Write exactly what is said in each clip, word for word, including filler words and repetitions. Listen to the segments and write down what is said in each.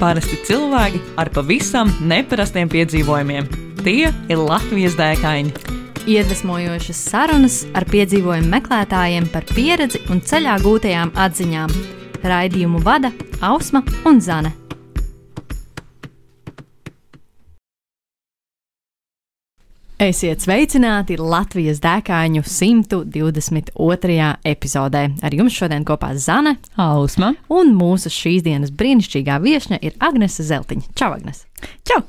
Parasti cilvēki ar pavisam neparastiem piedzīvojumiem. Tie ir Latvijas dēkaini. Iedvesmojošas sarunas ar piedzīvojumu meklētājiem par pieredzi un ceļā gūtajām atziņām. Raidījumu vada Ausma un Zane. Esiet sveicināti Latvijas dēkāņu simt divdesmit otrajā epizodē. Ar jums šodien kopā Zane, Ausma un mūsu šīs dienas brīnišķīgā viešņa ir Agnese Zeltiņa. Čau, Agnes! Čau!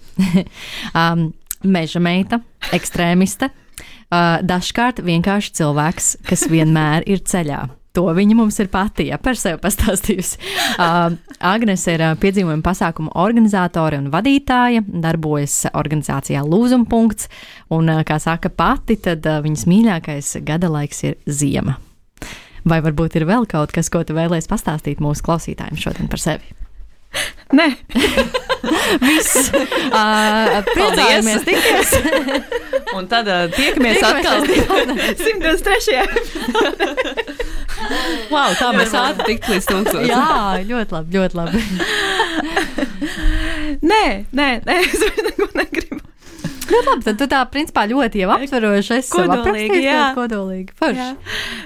um, meža meita, ekstrēmiste, uh, dažkārt vienkārši cilvēks, kas vienmēr ir ceļā. To viņa mums ir pati, ja par sevi pastāstījusi. Uh, Agnes ir uh, piedzīvojuma pasākumu organizātore un vadītāja, darbojas organizācijā Lūzumpunkts, un, uh, kā saka pati, tad uh, viņas mīļākais gada laiks ir ziema. Vai varbūt ir vēl kaut kas, ko tu vēlēsi pastāstīt mūsu klausītājiem šodien par sevi? Nē. Viss. Uh, priecājamies tikies. Un tad uh, tiekamies atkal simt divdesmit trešajā Wow, tā mēs ātri tikt līdz tūkstošiem. Jā, ļoti labi, ļoti labi. Nē, nē, nē, es vairs neko negribu. Ļoti labi, tad tu tā principā ļoti jau aptveroši esi sev aprakstījis, jā. Kodolīgi, forši.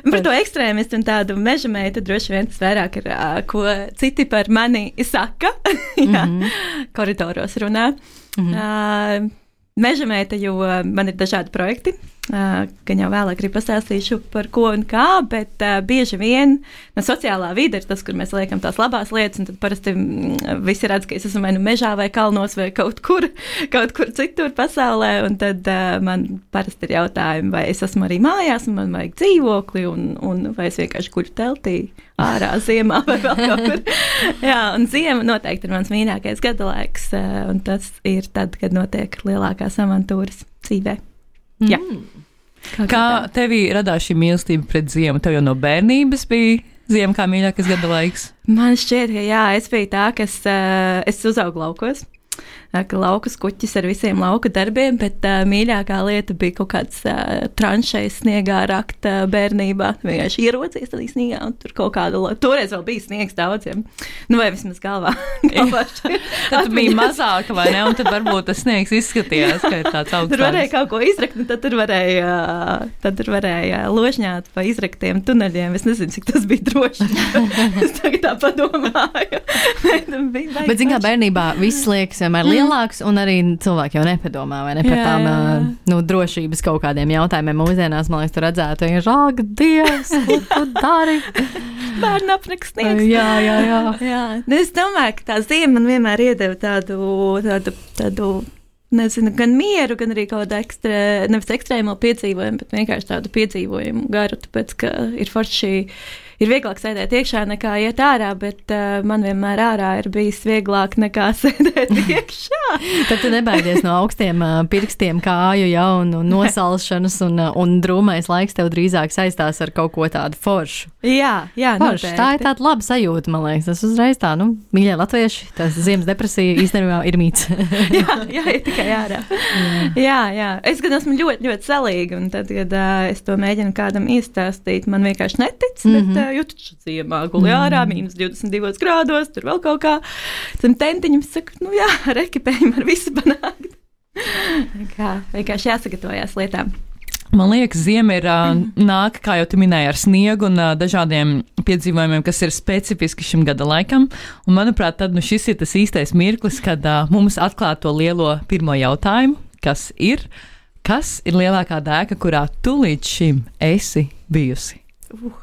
Par to ekstrēmistu un tādu meža meitu droši vien tas vairāk ir, ko citi par mani saka, jā, mm-hmm. koridoros runā. Mm-hmm. Uh, meža meita, jo man ir dažādi projekti, uh, gan jau vēlāk arī pastāstīšu par ko un kā, bet uh, bieži vien no sociālā vide ir tas, kur mēs liekam tās labās lietas, un tad parasti mm, visi redz, ka es esmu vai nu mežā vai kalnos vai kaut kur, kaut kur citur pasaulē, un tad uh, man parasti ir jautājumi, vai es esmu arī mājās, un man vajag dzīvokli, un, un vai es vienkārši guļu teltī ārā ziemā vai vēl kaut kur. Jā, un ziema noteikti ir mans mīļākais gada laiks, uh, un tas ir tad, kad notiek lielākās avantūras dzīvē. Mm. Jā. Kā, kā tevī radās šī mīlestība pret ziemu? Tev jau no bērnības bija ziema kā mīļākais gada laiks? Man šķiet, ka jā, es biju tā, kas uh, es uzaugu laukos. Ka laukas kuķis ar visiem lauka darbiem, bet uh, mīļākā lieta bija kaut kāds uh, tranšais sniegā rakt uh, bērnībā. Vienkārši ierocies tādā sniegā un tur kaut kāda, toreiz vēl bija sniegs daudziem. Nu vai vismaz galvā. galvā tad bija mazāka, vai ne? Un tad varbūt tas sniegs izskatījās, ka ir tāds augstāks. Tur varēja kaut ko izrakt, un tad tur varēja, tad tur varēja ložņāt pa izraktiem tuneļiem. Es nezinu, cik tas bija droši. Es tagad tā padomāju. Bet, zin kā, bērnībā viss liekas vienmēr lielāks, un arī cilvēki jau nepadomā, vai ne, par tām nu, drošības kaut kādiem jautājumiem. Mūsdienās, man liekas, tu redzētu, ja žāk, Dievs, ko tu dari? Bērnu apniks sniegs. Jā, jā, jā. jā. Es domāju, ka tā ziema man vienmēr iedeva tādu, tādu, tādu, nezinu, gan mieru, gan arī kaut kādu ekstrē, nevis ekstrēmo piedzīvojumu, bet vienkārši tādu piedzīvojumu garu, tāpēc, ka ir forši, ir vieglāk sēdēt iekšā nekā iet ārā, bet uh, man vienmēr ārā ir bijis vieglāk nekā sēdēt iekšā. Tad tu nebaidies no augstiem uh, pirkstiem kāju, ja, un, un nosalšanas, un, uh, un drūmais laiks tev drīzāk saistās ar kaut ko tādu foršu. Jā, jā, forši. Noteikti. Tā ir tāda laba sajūta, man liekas. Tas uzreiz tā, nu, mīļie latvieši, tas ziemas depresija īstenībā ir mīts. jā, jā, ir tikai ārā. Jā. jā, jā. Es gan esmu ļoti, ļoti salīga, un tad, kad uh, es to mēģinu kādam iestāstīt, man vienkārši netic, mm-hmm. bet uh, jūtu ziemā guli ārā, mīnus divdesmit divos grādos, tur vēl kaut kā. Tam tentiņam saka, nu jā, ar ekipējumu ar visu panākt. Kā, vienkārši jāsagatavojās lietām. Man liekas, ziema ir uh, nāk, kā jau tu minēji, ar sniegu un uh, dažādiem piedzīvojumiem, kas ir specifiski šim gada laikam. Un, manuprāt, tad nu, šis ir tas īstais mirklis, kad uh, mums atklāt to lielo pirmo jautājumu, kas ir, kas ir lielākā dēka, kurā tu līdz šim esi bijusi? Uh.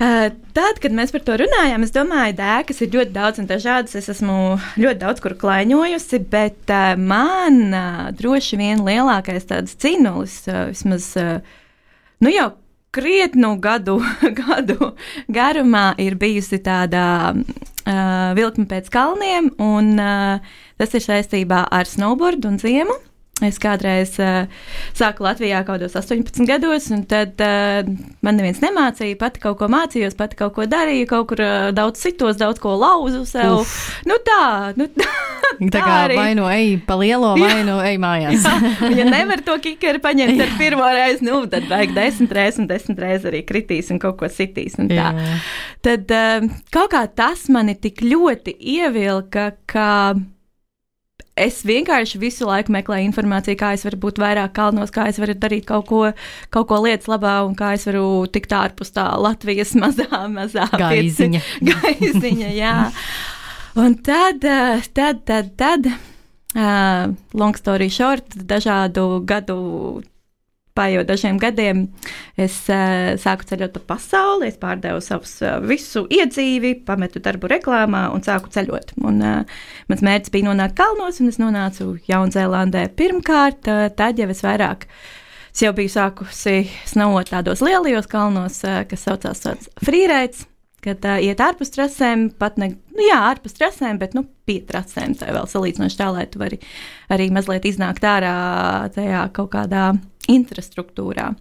Uh, tad, kad mēs par to runājām, es domāju, dēkas ir ļoti daudz un dažādas. Es esmu ļoti daudz kur klaiņojusi, bet uh, man uh, droši vien lielākais tāds cinulis, uh, vismaz, uh, nu jau krietnu gadu, gadu garumā ir bijusi tāda uh, vilkme pēc kalniem, un uh, tas ir saistībā ar snowboardu un ziemu. Es kādreiz uh, sāku Latvijā kaut kādos astoņpadsmit gados, un tad uh, man neviens nemācīja, pati kaut ko mācījos, pati kaut ko darīju, kaut kur uh, daudz citos, daudz ko lauzu sev. Uf. Nu tā, nu tā. Tā kā vai nu ej pa lielo, vai nu ej mājās. Ja nevar to kikeru paņemt ar pirmo reizi, nu tad vajag desmit reizes un desmit reizes arī kritīs un kaut ko sitīs un tā. Jā. Tad uh, kaut kā tas mani tik ļoti ievilka, ka es vienkārši visu laiku meklēju informāciju, kā es varu būt vairāk kalnos, kā es varu darīt kaut ko, kaut ko lietas labā un kā es varu tikt ārpus tā Latvijas mazā, mazā gaiziņa. Gaiziņa, jā. Un tad, tad, tad, tad, uh, long story short, dažādu gadu, paiet dažiem gadiem, es uh, sāku ceļot pa pasauli, es pārdevu savus uh, visu iedzīvi, pametu darbu reklāmā un sāku ceļot. Un uh, mans mērķis bija nonākt kalnos, un es nonācu Jaunzēlandē pirmkārt, uh, tad jau es vairāk, es jau biju sākusi snaut tādos lielajos kalnos, uh, kas saucās tāds freerides, kad uh, iet ārpus trasēm, pat ne, nu jā, ārpus trasēm, bet, nu, pie trasēm, tā vēl salīdzinoši tā, lai tu vari arī mazliet iznākt ārā tajā kaut kādā infrastruktūrā.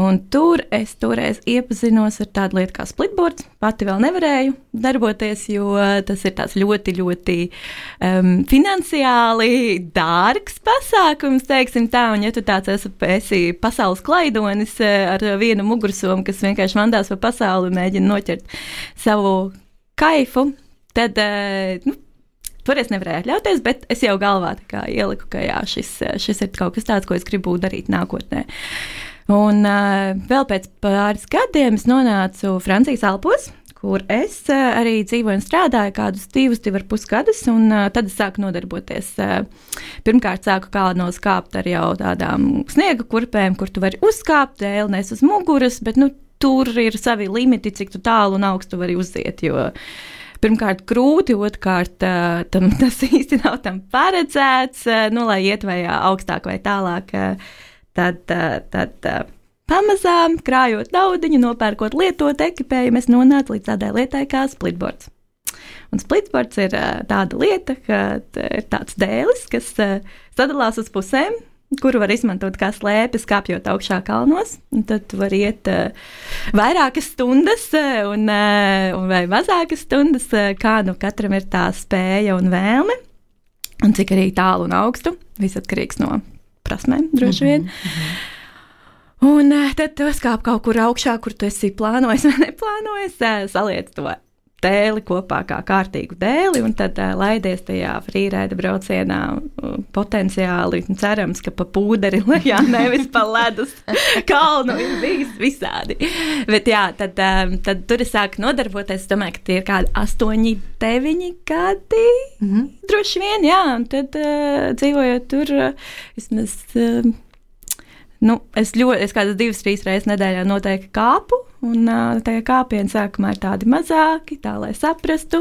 Un tur es toreiz iepazinos ar tādu lietu kā splitboards. Pati vēl nevarēju darboties, jo tas ir tāds ļoti, ļoti um, finansiāli dārgs pasākums, teiksim tā. Un ja tu tāds esi, esi pasaules klaidonis ar vienu mugursomu, kas vienkārši vandās pa pasauli un mēģina noķert savu kaifu, tad, uh, nu, tur es nevarēju atļauties, bet es jau galvā tā kā ieliku, ka jā, šis, šis ir kaut kas tāds, ko es gribu darīt nākotnē. Un uh, vēl pēc pāris gadiem es nonācu Francijas Alpos, kur es uh, arī dzīvoju un strādāju kādus divus, divi ar pus gadus, un uh, tad es sāku nodarboties. Uh, pirmkārt sāku kalnos kāpt ar jau tādām sniega kurpēm, kur tu vari uzkāpt, dēli nes uz muguras, bet nu, tur ir savi limiti, cik tu tālu un augstu vari uziet, jo pirmkārt grūti, otrkārt tam, tas īsti nav tam paredzēts, nu, lai iet vai augstāk vai tālāk, tad, tad pamazām krājot naudiņu, nopērkot lietot ekipējumu, es nonācu līdz tādai lietai kā splitboards. Un splitboards ir tāda lieta, ka ir tāds dēlis, kas sadalās uz pusēm, kuru var izmantot kā slēpes, kāpjot augšā kalnos. Un tad tu vari iet uh, vairākas stundas uh, un, uh, un vai mazākas stundas, uh, kā nu katram ir tā spēja un vēlme. Un cik arī tālu un augstu, viss atkarīgs no prasmēm, droši vien. Mm-hmm. Un uh, tad tu skāp kaut kur augšā, kur tu esi plānojis vai neplānojis, uh, saliec to dēli kopā kā kārtīgu dēli, un tad uh, laidies tajā frīraida braucienā uh, potenciāli, cerams, ka pa pūderi lejā, nevis pa ledus kalnu, ir bijis visādi. Bet jā, tad, um, tad tur es sāku nodarboties, es domāju, ka tie ir kādi astoņi, deviņi gadi, mm-hmm. droši vien, jā, un tad uh, dzīvojot tur, uh, vismaz, uh, nu, es ļoti, es kādas divas, trīs reizes nedēļā noteikti kāpu, un uh, tajā kāpiena sākumā ir tādi mazāki, tā lai saprastu,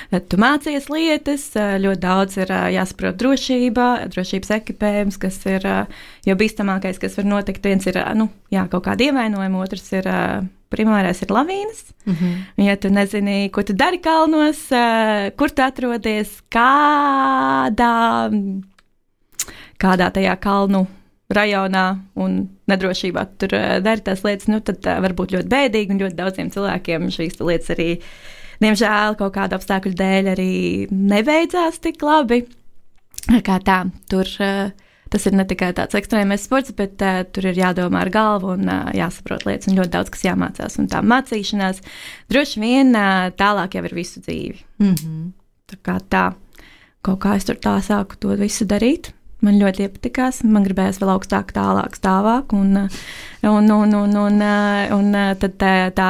tad tu mācies lietas, uh, ļoti daudz ir uh, jāsaprot drošība, drošības ekipējums, kas ir uh, jau bīstamākais, kas var notikt. Viens ir, uh, nu, jā, kaut kādi ievainojumi, otrs ir, uh, primārais ir lavīnas. Mm-hmm. Ja tu nezini, ko tu dari kalnos, uh, kur tu atrodies, kādā, kādā tajā kalnu rajonā un nedrošībā tur uh, dari tās lietas, nu tad uh, var būt ļoti bēdīgi, un ļoti daudziem cilvēkiem šīs lietas arī, diemžēl, kaut kādu apstākļu dēļ arī nebeidzās tik labi. Kā tā, tur uh, tas ir ne tikai tāds ekstrēmais sports, bet uh, tur ir jādomā ar galvu un uh, jāsaprot lietas, un ļoti daudz, kas jāmācās, un tā mācīšanās droši vien uh, tālāk jau ir visu dzīvi. Mm-hmm. Tā kā tā, kaut kā es tur tā sāku to visu darīt. Man ļoti iepatikās, man gribējās vēl augstāk, tālāk, stāvāk, un, un, un, un, un, un tad tā, tā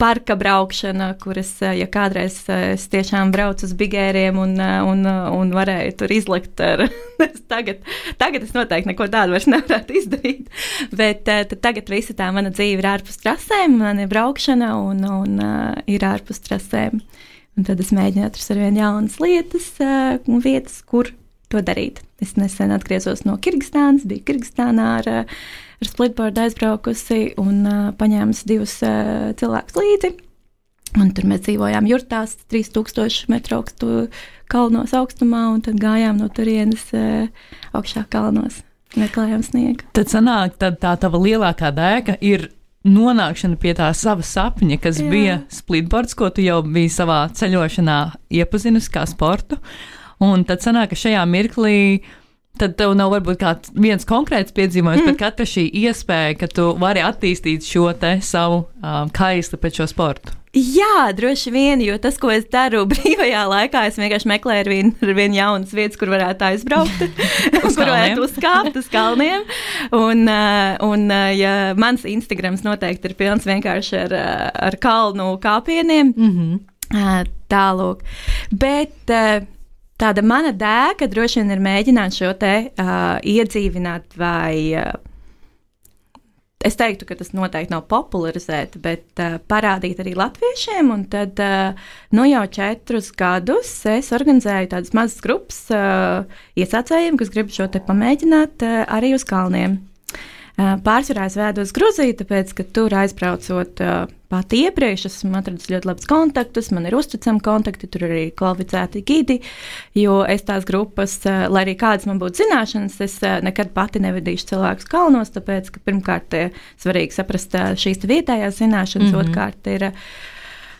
parka braukšana, kuras, ja kādreiz es tiešām braucu uz bigēriem un, un, un varēju tur izlikt ar, tagad, tagad es noteikti neko tādu vairs nevarētu izdarīt, bet tad tagad visa tā mana dzīve ir ārpus trasēm, man ir braukšana un, un ir ārpus trasēm, un tad es mēģinu atrast arvien jaunas lietas un vietas, kur to darīt. Es nesen atgriezos no Kirgistānas, biju Kirgistānā ar, ar splitboardu aizbraukusi un uh, paņēmusi divus uh, cilvēkus līdzi. Un tur mēs dzīvojām jurtās, trīs tūkstoši metru augstu kalnos augstumā, un tad gājām no turienes uh, augšā kalnos, meklējām sniegu. Tad sanāk, tad tā tava lielākā dēka ir nonākšana pie tā sava sapņa, kas Jā. bija splitboards, ko tu jau biji savā ceļošanā iepazinusi kā sportu. Un tad sanāk, ka šajā mirklī tad tev nav varbūt kāds viens konkrēts piedzīvojums, mm. bet katra šī iespēja, ka tu vari attīstīt šo te savu um, kaisli pēc šo sportu. Jā, droši vien, jo tas, ko es daru brīvajā laikā, es vienkārši meklēju ar vienu ar vien jaunas vietas, kur varētu aizbraukt, kur varētu uzkāpt uz kalniem. Un, un ja mans Instagrams noteikti ir pilns vienkārši ar, ar kalnu kāpieniem, mm-hmm. tālūk. Bet tāda mana dēka droši vien ir mēģināt šo te uh, iedzīvināt vai... Uh, Es teiktu, ka tas noteikti nav popularizēt, bet uh, parādīt arī latviešiem. Un tad uh, nu jau četrus gadus es organizēju tādas mazas grupas uh, iesācējiem, kas grib šo te pamēģināt uh, arī uz kalniem. Uh, pārsvarā es vēdu uz Gruziju, tāpēc, ka tur aizbraucot uh, pati iepriekš, esmu atradis ļoti labus kontaktus, man ir uzticami kontakti, tur arī kvalificēti gidi, jo es tās grupas, uh, lai arī kādas man būtu zināšanas, es uh, nekad pati nevedīšu cilvēkus kalnos, tāpēc, ka pirmkārt ir svarīgi saprast uh, šīs vietējās zināšanas, mm-hmm. otrkārt ir uh,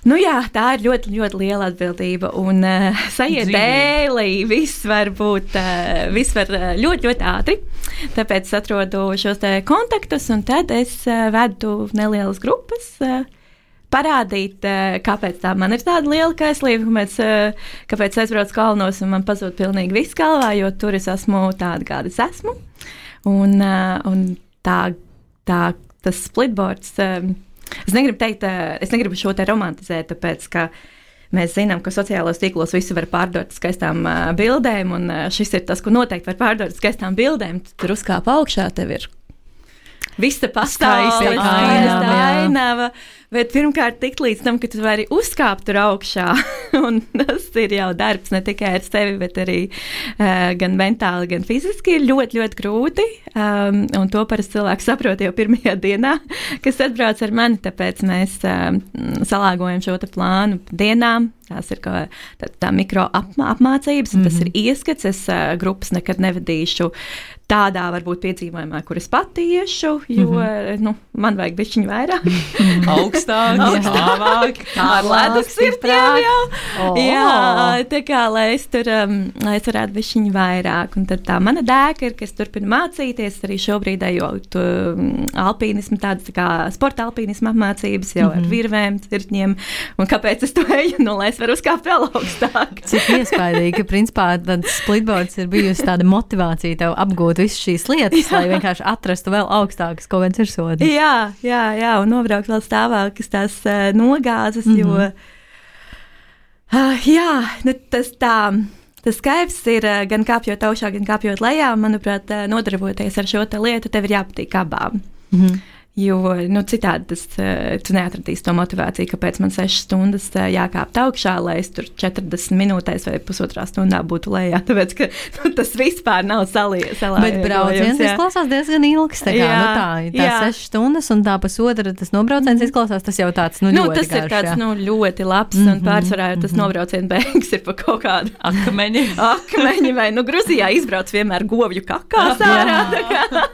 Nu jā, tā ir ļoti, ļoti liela atbildība, un uh, sajiet dēlī, viss var būt, uh, viss var uh, ļoti, ļoti ātri, tāpēc es atrodu šos te kontaktus, un tad es uh, vedu nelielas grupas, uh, parādīt, uh, kāpēc tā man ir tāda liela kaislība, kāpēc, uh, kāpēc es aizbraucu kalnos, un man pazūd pilnīgi viss galvā, jo tur es esmu tāda, kāda es esmu, un, uh, un tā, tā, tas splitboards... Uh, Es negribu teikt, es negribu šo te romantizēt, tāpēc, ka mēs zinām, ka sociālos tīklos visi var pārdot skaistām uh, bildēm, un uh, šis ir tas, ko noteikti var pārdot skaistām bildēm. Tu tur uzkāp augšā, tev ir visa pasaule, skaista ainava, bet pirmkārt tikt līdz tam, ka tu vari uzkāpt tur augšā, un tas ir jau darbs ne tikai ar sevi, bet arī uh, gan mentāli, gan fiziski ir ļoti, ļoti grūti, um, un to parasti cilvēks saprot jau pirmajā dienā, kas atbrauc ar mani, tāpēc mēs um, salāgojam šo te plānu dienām, tās ir kā tā, tā mikro apmā, apmācības, un mm-hmm. tas ir ieskats, es uh, grupas nekad nevadīšu tādā varbūt piedzīvojumā, kur es pati iešu, jo, mm-hmm. nu, man vajag bišķiņu vairāk. Augstāk, augstāk, ar ledus sirtiem jau. Oh. Jā, tā kā, lai es tur, um, lai es varētu bišķiņu vairāk. Un tad tā mana dēka ir, ka es turpinu mācīties, arī šobrīd ejot um, alpīnismu, tādas tā kā sporta alpīnismu apmācības jau mm-hmm. ar virvēm, cirtņiem. Un kāpēc es to eju? Nu, lai es varu uzkāpt vēl augstāk. Cik iespaidīgi, ka principā tāds splitboards ir bijusi tāda motivācija tev apgūt visas šīs lietas, jā. Lai vienkārši atrastu vēl augstākas kaut kādas virsotnes. Jā, jā, jā, un nobraukt vēl stāvākas tās uh, nogāzes, mm-hmm. jo, uh, jā, nu, tas tā, tas skaidrs ir uh, gan kāpjot augšā, gan kāpjot lejā, manuprāt, uh, nodarboties ar šo te lietu, tev ir jāpatīk abām. Mm-hmm. Jo, nu, citādi tas, uh, tu neatradīsi to motivāciju, kāpēc man sešas stundas uh, jākāpt augšā, lai es tur četrdesmit minūtēs vai pusotrā stundā būtu lejā, tāpēc, ka nu, tas vispār nav salīdzināms. Bet brauciens izklausās diezgan ilgs, tā kā, jā, nu tā, tā sešas stundas un tā pusotra, tas nobrauciens izklausās, tas jau tāds, nu, nu ļoti tas garš, ir tāds, jā. nu, ļoti labs, mm-hmm, un pārsvarā jau tas mm-hmm. nobrauciens beigas ir pa kaut kādu akmeņi. Akmeņi vai, nu, Gruzijā izbrauc vienmēr govju kakās ārā, tā kā,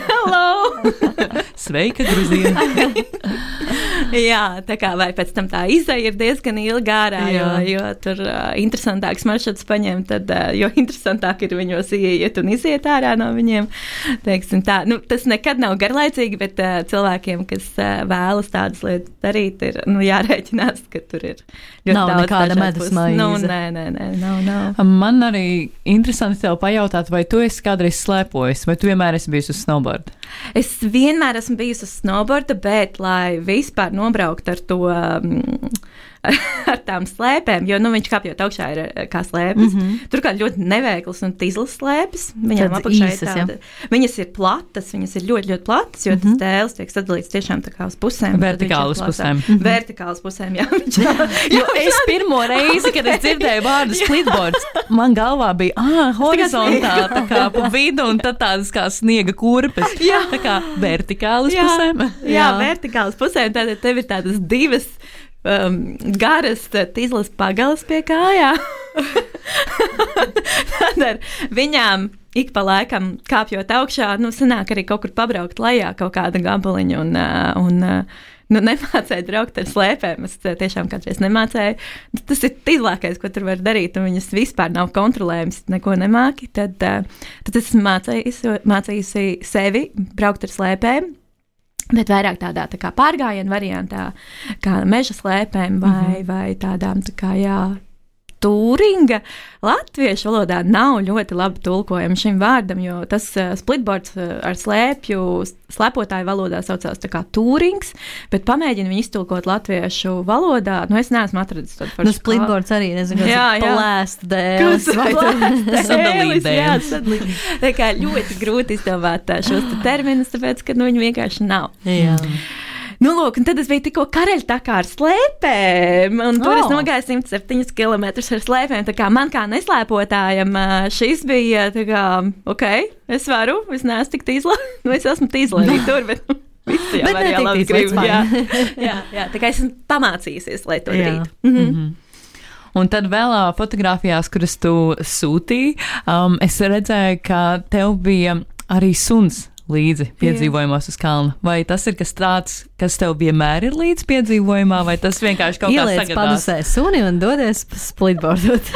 hello! Sveika, Gruzija! Jā, tā kā vai pēc tam tā izeja ir diezgan ilga ārā, jo, jo tur uh, interesantāks maršruts paņem, tad, uh, jo interesantāk ir viņos ieiet un iziet ārā no viņiem. Teiksim tā, nu, tas nekad nav garlaicīgi, bet uh, cilvēkiem, kas uh, vēlas tādas lietas darīt, ir, nu, jārēķinās, ka tur ir ļoti nav daudz nekāda medus maize. Nu, nē, nē, nē, nav, nav. Man arī interesanti tev pajautāt, vai tu esi kādreiz slēpojis, vai tu vienmēr esi bijusi uz snowboard? Es vienmēr esmu bijusi uz snowboarda, bet, lai vispār nobraukt ar to, um, ar tām slēpēm, jo, nu, viņš kāpjot augšā ir kā slēpes. Mm-hmm. Tur kā ļoti neveiklas un tīzlas slēpes. Viņām apakšā ir tāda. Viņas ir platas, viņas ir ļoti, ļoti platas, jo mm-hmm. tas dēls tiek sadalīts tiešām tā kā uz pusēm. Vertikāli uz pusēm. Mm-hmm. Vertikāli uz pusēm, jā. jā, jo es pirmo reizi, kad es dzirdēju vārdu splitboards, man galvā bija, ā, horizontāli, tā kā pa vidu, un tad tādas kā sniega kurpes. Jā. Tā kā vertikāli uz jā. pusēm. Jā, jā, vertikāli uz pusēm, tātad tev ir tādas divas um, garas tīzlas pagalas pie kājām. Tad ar viņām ik pa laikam kāpjot augšā, nu, sanāk arī kaut kur pabraukt lejā kaut kāda gabaliņa un, un nu, nemācēju braukt ar slēpēm. Es tiešām kādreiz nemācēju. Tas ir tīzlākais, ko tur var darīt, un viņas vispār nav kontrolējums, neko nemāki. Tad, tad es mācījusi, mācījusi sevi braukt ar slēpēm. Bet vairāk tādā tā kā pārgājienu variantā, kā meža slēpēm vai, mm-hmm. vai tādām tā kā, jā, Tūringa latviešu valodā nav ļoti labi tulkojama šim vārdam, jo tas uh, splitboards uh, ar slēpju slēpotāju valodā saucās tā kā Tūrings, bet pamēģinu viņu iztulkot latviešu valodā. Nu, es neesmu atradis tādu foršu. Nu, splitboards arī, nezinu, kas jā, ir jā. Palēst dēlis. Vai sadalīt dēlis. Tā kā ļoti grūti izdomāt šos te terminus, tāpēc, ka nu, viņi vienkārši nav. Jā. Nu, lūk, un tad es biju tikko karaļtakā ar slēpēm, un tur oh. es nogāju simt septiņus kilometrus ar slēpēm. Tā kā man kā neslēpotājam šis bija, tā kā, ok, es varu, es neesmu tik tīzla, nu, es esmu tīzla arī tur, bet nu, visi jau arī labi grib. Jā, jā, jā, tā kā esmu pamācījusies, lai to darītu. Mhm. Mm-hmm. Un tad vēl uh, fotografijās, kuras tu sūtīji, um, es redzēju, ka tev bija arī suns līdzi piedzīvojumos uz kalna. Vai tas ir kas tāds, kas tev vienmēr ir līdzi piedzīvojumā, vai tas vienkārši kaut kā sagadās? Ieliec padusē suni un dodies splitboardot.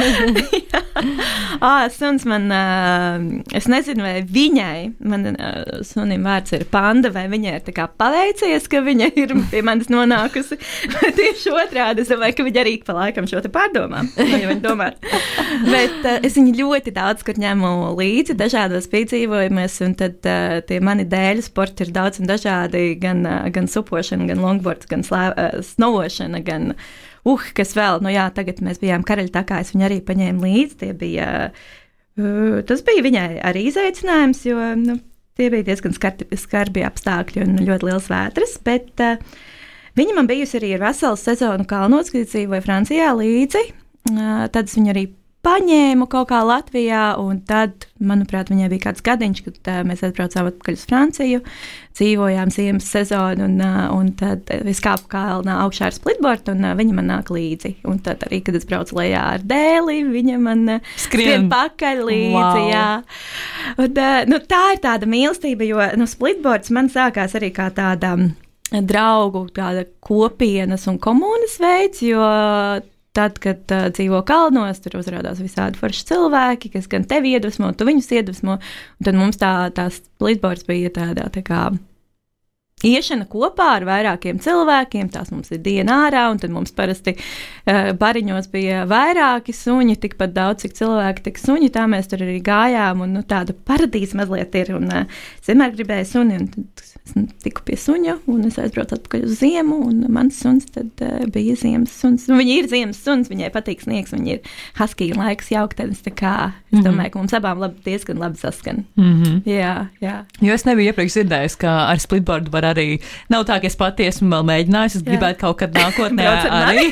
ah, suns man, uh, es nezinu, vai viņai, man uh, sunim vārds ir Panda, vai viņai ir tā kā paveicies, ka viņa ir pie manis nonākusi. Tieši otrādi, es domāju, ka viņa arī pa laikam šo te pārdomā. Vai viņa domā. Bet uh, es viņu ļoti daudz, kur ņemu līdzi dažādos piedzīvojumus, un tad uh, tie mani dēļu sporti ir daudz un dažādi, gan, gan supošana, gan longboards, gan slē, uh, snovošana, gan, uh, kas vēl, nu jā, tagad mēs bijām karaļtakā, es viņu arī paņēmu līdzi, tie bija, uh, tas bija viņai arī izaicinājums, jo, nu, tie bija diezgan skarbi, skarbi apstākļi un ļoti liels vētras, bet uh, viņa man bijusi arī ar veselu sezonu kalnos, kad dzīvoja Francijā līdzi, uh, tad es viņu arī paņēmu kaut kā Latvijā, un tad, manuprāt, viņai bija kāds gadiņš, kad uh, mēs atbraucām atpakaļ uz Franciju, dzīvojām ziemas sezonu, un, uh, un tad es kāpu kalnā augšā ar splitboardu, un uh, viņa man nāk līdzi. Un tad arī, kad es braucu lejā ar dēli, viņa man uh, skrien. skrien pakaļ līdzi, wow. jā. Un, uh, nu, tā ir tāda mīlestība, jo nu, splitboards man sākās arī kā tāda draugu, tāda kopienas un komunas veids, jo tad, kad uh, dzīvo kalnos, tur uzrādās visādi forši cilvēki, kas gan tevi iedvesmo, tu viņus iedvesmo, un tad mums tā, tā splitboards bija tādā tā kā iešana kopā ar vairākiem cilvēkiem, tās mums ir diena ārā, un tad mums parasti uh, bariņos bija vairāki suņi, tikpat daudz, cik cilvēki, tik suņi, tā mēs tur arī gājām, un nu, tāda paradīze mazliet ir, un uh, es vienmēr gribēju suni, un tad es tiku pie suņa, un es aizbraucu atpakaļ uz ziemu, un mans suns tad uh, bija ziemas suns, un viņi ir ziemas suns, viņai patīk sniegs, viņi ir husky un laiks jauktens, tā kā, es mm-hmm. domāju, ka mums abām labi, diezgan labi saskan. Mm-hmm. Jā, jā. Jo es nebiju iepriekš dzirdējis, ka ar splitboardu var arī, nav tā, ka es pati esmu vēl mēģinājis, es jā. gribētu kaut kad nākotnē arī,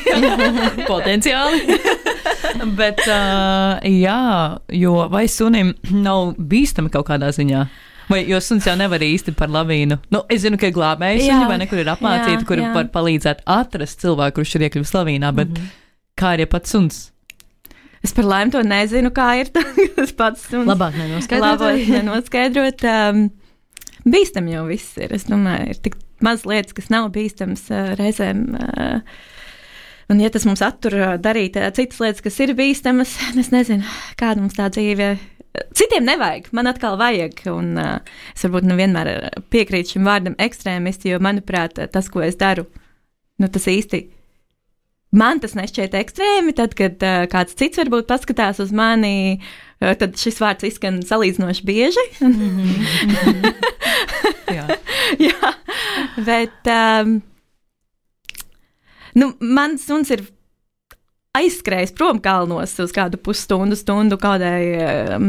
potenciāli. Bet, uh, jā, jo vai sunim nav bīstami kaut kādā ziņā? Vai, jo suns jau nevar īsti par lavīnu. Nu, es zinu, ka ir glābēji suņi, vai nekur ir apmācīti, kuri var palīdzēt atrast cilvēku, kurš ir iekļuvis lavīnā, bet mm-hmm. kā ir ja pats suns? Es par laimi to nezinu, kā ir tas pats suns. Labāk nenoskaidrot. Labāk nenoskaidrot. Um, bīstam jau viss ir. Es domāju, ir tik maz lietas, kas nav bīstams uh, reizēm. Uh, un ja tas mums attur uh, darīt uh, citas lietas, kas ir bīstamas, es nezinu, kāda mums tā dzīve. Citiem nevajag, man atkal vajag, un uh, es varbūt nu vienmēr piekrītu šim vārdam ekstrēmisti, jo, manuprāt, tas, ko es daru, nu tas īsti, man tas nešķiet ekstrēmi, tad, kad uh, kāds cits varbūt paskatās uz mani, uh, tad šis vārds izskan salīdzinoši bieži. Mm-hmm. Jā. Jā, bet, um, nu, man suns ir aizskrējis prom kalnos uz kādu pusstundu, stundu kādai um,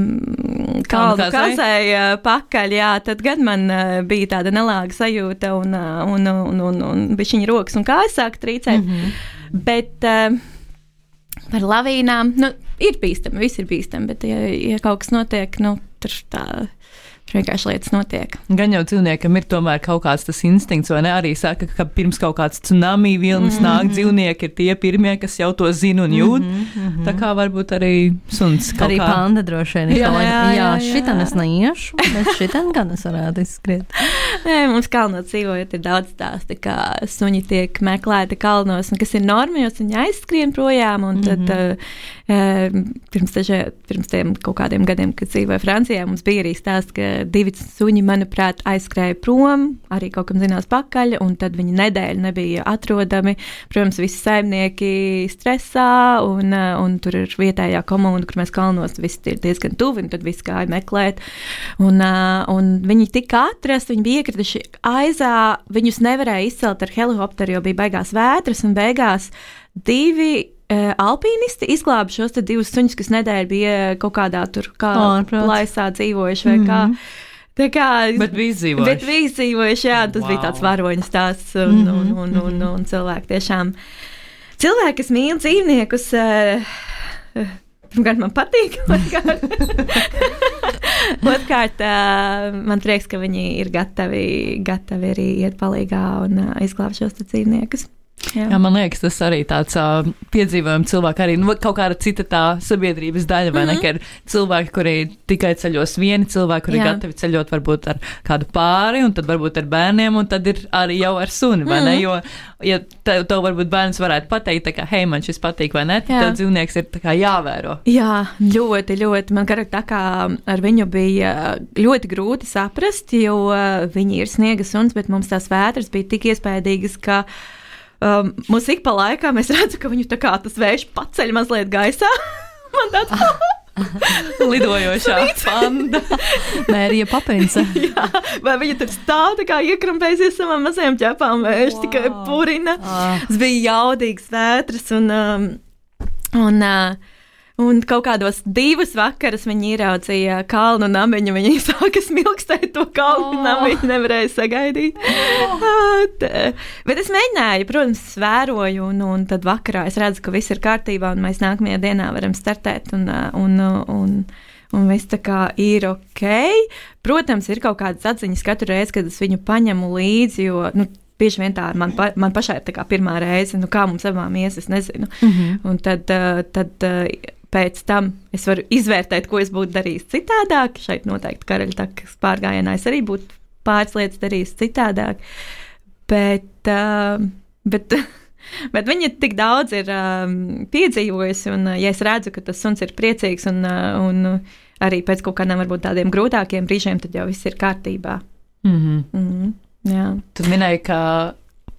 kalnu kasai uh, pakaļ, jā, tad gan man uh, bija tāda nelāga sajūta un, uh, un, un, un, un bišķiņa rokas un kājas sāk trīcēt, mm-hmm. bet uh, par lavīnām, nu, ir bīstami, viss ir bīstami, bet ja, ja kaut kas notiek, nu, tur tā vienkārši lietas notiek. Gan jau dzīvniekam ir tomēr kaut kāds tas instinkts, vai ne? Arī saka, ka pirms kaut kāds tsunami vilnis mm-hmm. nāk, dzīvnieki ir tie pirmie, kas jau to zina un jūt. Mm-hmm. Tā kā varbūt arī suns kaut arī kā. Arī panda droši vien. Jā, jā, jā, jā. Šitan es neiešu, bet šitan gan es varētu izskriet. Nē, mums kalnos dzīvojot ir daudz stāsti, kā suņi tiek meklēti kalnos, un kas ir normijos, viņi aizskrien projām, un tad mm-hmm. uh, pirms, tažē, pirms tiem kaut kādiem gadiem, kad dzīvoja Francijā, mums bija arī stāsts, ka divi suņi, manuprāt, aizskrēja prom, arī kaut kam zinās pakaļ, un tad viņi nedēļu nebija atrodami. Protams, visi saimnieki stresā, un, un tur ir vietējā komunda, kur mēs kalnos, visi ir diezgan tuvi, un tad visi gāja meklēt. Un, un viņi tika atrast, viņi bija iekrituši aizā, viņus nevarēja izcelt ar helikopteru, jo bija baigās vētras, un beigās divi uh, alpīnisti izglāba šos te divus suņus, kas nedēļu bija kaut kādā tur kā plaisā dzīvojuši vai kā. Mm-hmm. Tā kā, bet bija izdzīvojuši. Bet bija izdzīvojuši, jā, tas wow. bija tāds varoņu stāsts, un, mm-hmm. un, un, un, un, un cilvēki tiešām, cilvēki, kas mīl dzīvniekus, uh, uh, pirmkārt man patīk, otrkārt, uh, man prieks, ka viņi ir gatavi, gatavi arī iet palīgā un uh, izglābt šos dzīvniekus. Jā. Jā, man liekas, tas arī tāds uh, piedzīvojums cilvēki arī, nu, kaut kāda cita tā sabiedrības daļa, vai mm-hmm. ne, ka ir cilvēki, kuri tikai ceļos vieni, cilvēki, kuri ir gatavi ceļot varbūt ar kādu pāri, un tad varbūt ar bērniem, un tad ir arī jau ar suni, vai mm-hmm. ne, jo, ja tev, tev varbūt bērns varētu pateikt, tā kā, hei, man šis patīk, vai ne, tad dzīvnieks ir tā kā jāvēro. Jā, ļoti, ļoti, man garāk tā kā ar viņu bija ļoti grūti saprast, jo viņi ir sniega suns, bet mums tās vētras bija tik iespējīgas, ka Um, mums ik pa laikā mēs redzam, ka viņu tā kā tas vējš paceļ mazliet gaisā. Man tāds lidojošā panda. Mērija Papinsa. Jā, vai viņa tur stāv tā kā iekrampēsies savām mazajām ķepām, vējš wow. tikai purina. Ah. Tas bija jaudīgs vētras un, um, un uh, Un kaut kādos divus vakarus viņi ieraudzīja kalnu namiņu, viņi sāka smilkstēt to kalnu oh. namiņu, nevarēja sagaidīt. Oh. Bet es mēģināju, protams, vēroju, un, un tad vakarā es redzu, ka viss ir kārtībā, un mēs nākamajā dienā varam startēt, un, un, un, un viss tā kā ir ok. Protams, ir kaut kādas atziņas katru reizi, kad es viņu paņemu līdzi, jo, nu, bieži vien tā man, pa, man pašai ir tā kā pirmā reize, nu kā mums abām ies, es nezinu. Mm-hmm. Un tad, tad pēc tam es varu izvērtēt, ko es būtu darījis citādāk. Šeit noteikti Karaļtakas pārgājienā es arī būtu pāris lietas darījis citādāk. Bet, uh, bet, bet viņa tik daudz ir um, piedzīvojusi, un ja es redzu, ka tas suns ir priecīgs, un, uh, un arī pēc kaut kādiem varbūt tādiem grūtākiem brīžiem, tad jau viss ir kārtībā. Mm-hmm. Mm-hmm. Jā. Tu minēji, ka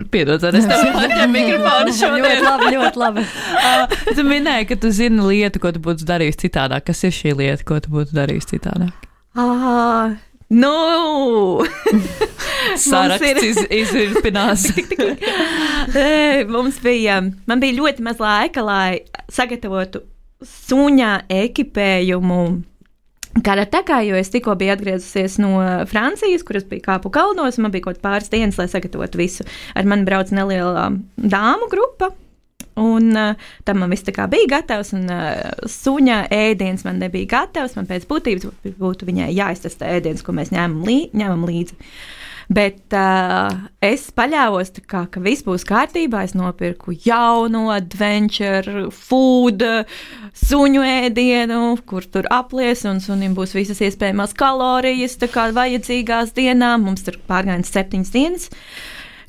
Piedod, es tev atņemu mikrofonu šodien. Ļoti labi, ļoti labi. uh, tu minēji, ka tu zini lietu, ko tu būtu darījis citādāk. Kas ir šī lieta, ko tu būtu darījis citādāk? Ah, nu! Saraksts iz, izvirpinās. Mums bija, man bija ļoti maz laika, lai sagatavotu suņā ekipējumu Karatakā, jo es tikko biju atgriezusies no Francijas, kuras bija kāpu kalnos, un man bija kaut pāris dienas, lai sagatavotu visu. Ar mani brauc neliela dāmu grupa, un uh, tam man viss tā kā bija gatavs, un uh, suņa ēdiens man nebija gatavs, man pēc būtības būtu viņai jāiztestē ēdiens, ko mēs ņēmam, lī, ņēmam līdzi. Bet uh, es paļāvos, tā kā, ka viss būs kārtībā. Es nopirku jaunu adventure food, suņu ēdienu, kur tur aplies, un sunim būs visas iespējamās kalorijas, tā kā vajadzīgās dienām. Mums tur pārgājiens septiņas dienas.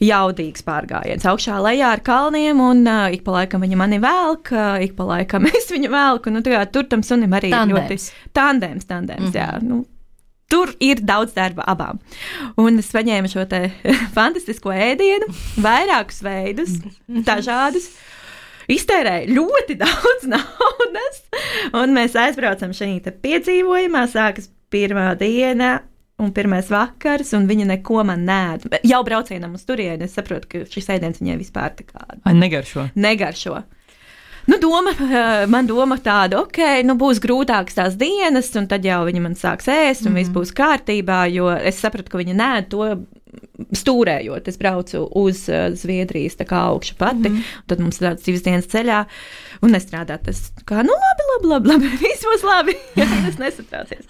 Jaudīgs pārgājiens augšā lejā ar kalniem, un uh, ik pa laikam viņa mani velk, uh, ik pa laikam es viņu velku. Nu, tā, tur tam sunim arī tandēms. ļoti tandēms, tandēms, mm-hmm. jā. Nu, tur ir daudz darba abām. Un es paņēmu šo te fantastisko ēdienu, vairākus veidus, dažādus, iztērēju ļoti daudz naudas, un mēs aizbraucam šajā te piedzīvojumā, sākas pirmā diena un pirmais vakars, un viņa neko man nēd. Jau braucienam uz turieni, es saprotu, ka šis ēdiens viņai vispār tā kā... Ai, negaršo. Negaršo. Nu, doma, man doma tāda, ok, nu būs grūtākas tās dienas, un tad jau viņa man sāks ēst, un mm-hmm. viss būs kārtībā, jo es sapratu, ka viņa nēd to stūrējot. Es braucu uz uh, Zviedrijas tā kā augšu pati, mm-hmm. un tad mums tāds divas dienas ceļā, un nestrādāt tas kā, nu labi, labi, labi, labi, viss būs labi, es nesatraucies.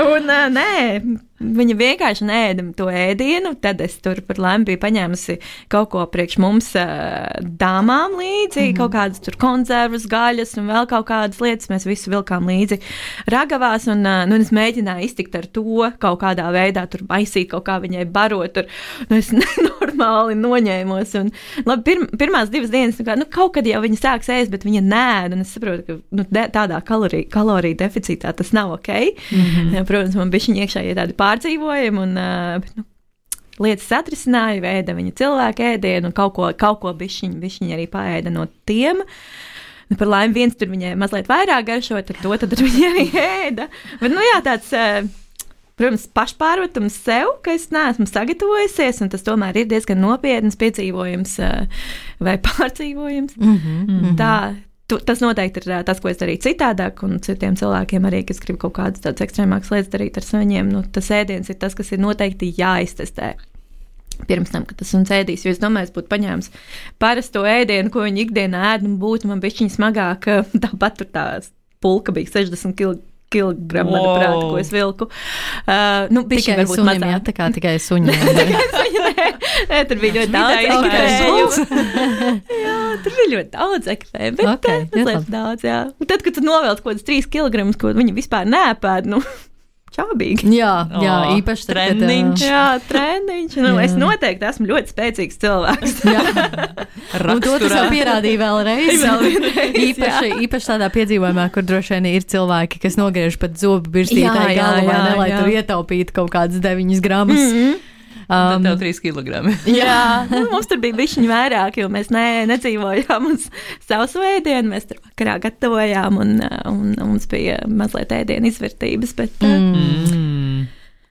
Un uh, nē, viņa vienkārši neēda to ēdienu, tad es tur par laimi biju paņēmusi kaut ko priekš mums uh, dāmām līdzi, mm-hmm. kaut kādas tur konservas, gaļas un vēl kaut kādas lietas, mēs visu vilkām līdzi ragavās, un, uh, nu, es mēģināju iztikt ar to kaut kādā veidā, tur maisīt kaut kā viņai barot, tur, nu, es nenormāli noņēmos, un, labi, pirm, pirmās divas dienas, nu, kā, nu, kaut kad jau viņa sāks ēst, bet viņa nēd, un es saprotu, ka, nu, de, tādā kaloriju, kaloriju deficītā tas nav ok. Mm-hmm. Ja, protams, man bišķiņi iekšā ir tādi pārdzīvojumi, un, bet, nu, lietas atrisināja, veida viņa cilvēku ēdienu, un kaut ko, kaut ko bišķiņi, bišķiņi arī paēda no tiem. Nu, par laimi viens tur viņai mazliet vairāk garšo, tad to tad viņa arī ēda. Bet, nu jā, tāds, protams, pašpārmetums sev, ka es neesmu sagatavojusies, un tas tomēr ir diezgan nopietnas piedzīvojums vai pārdzīvojums. Mm-hmm. Tā. Tu, tas noteikti ir tas, ko es darīju citādāk, un citiem cilvēkiem arī, kas grib kaut kādas tādas ekstrēmākas lietas darīt ar saviem. Nu, tas ēdiens ir tas, kas ir noteikti jāiztestē pirms tam, kad tas un ēdīs. Jo es domāju, es būtu paņēmis parasto ēdienu, ko viņi ikdienā ēd, un būtu man bišķiņ smagāk. Tāpat tur tā pulka bija sešdesmit kilogramu, wow. manuprāt, ko es vilku. Uh, nu, tikai suņiem, jā, tā kā tikai suņiem. Nē, tur bija ļoti daudz ekstrējumu. Jā, tur bija ļoti daudz ekstrējumu, bet okay, mazliet daudz, jā. Un tad, kad tu novelc kaut kādas trīs kilogramus, ko viņi vispār neēpēd, nu, čābīgi. Jā, jā, oh, īpaši treniņš. Jā, treniņš. Nu, jā. Es noteikti esmu ļoti spēcīgs cilvēks. Jā. Un to tas jau pierādīja vēlreiz. Vēl vienreiz, īpaši, īpaši tādā piedzīvojumā, kur droši vien ir cilvēki, kas nogriež pat zobu birstītai galu, vai ne, lai jā. Tur ietaupītu kaut kādas deviņas gramus. Mm-hmm. Um, tad tev trīs kilogrami. Jā, nu, mums tur bija bišķiņi vairāk, jo mēs ne, nedzīvojām uz savus ēdienu, mēs tur vakarā gatavojām, un, un, un mums bija mazliet ēdienu izvērtības, bet... Mm.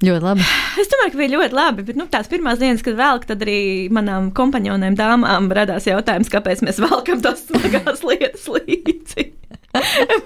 Ļoti labi. Es domāju, ka bija ļoti labi, bet nu, tās pirmās dienas, kad velk, tad arī manām kompanionēm dāmām radās jautājums, kāpēc mēs velkam tās smagās lietas līdzi.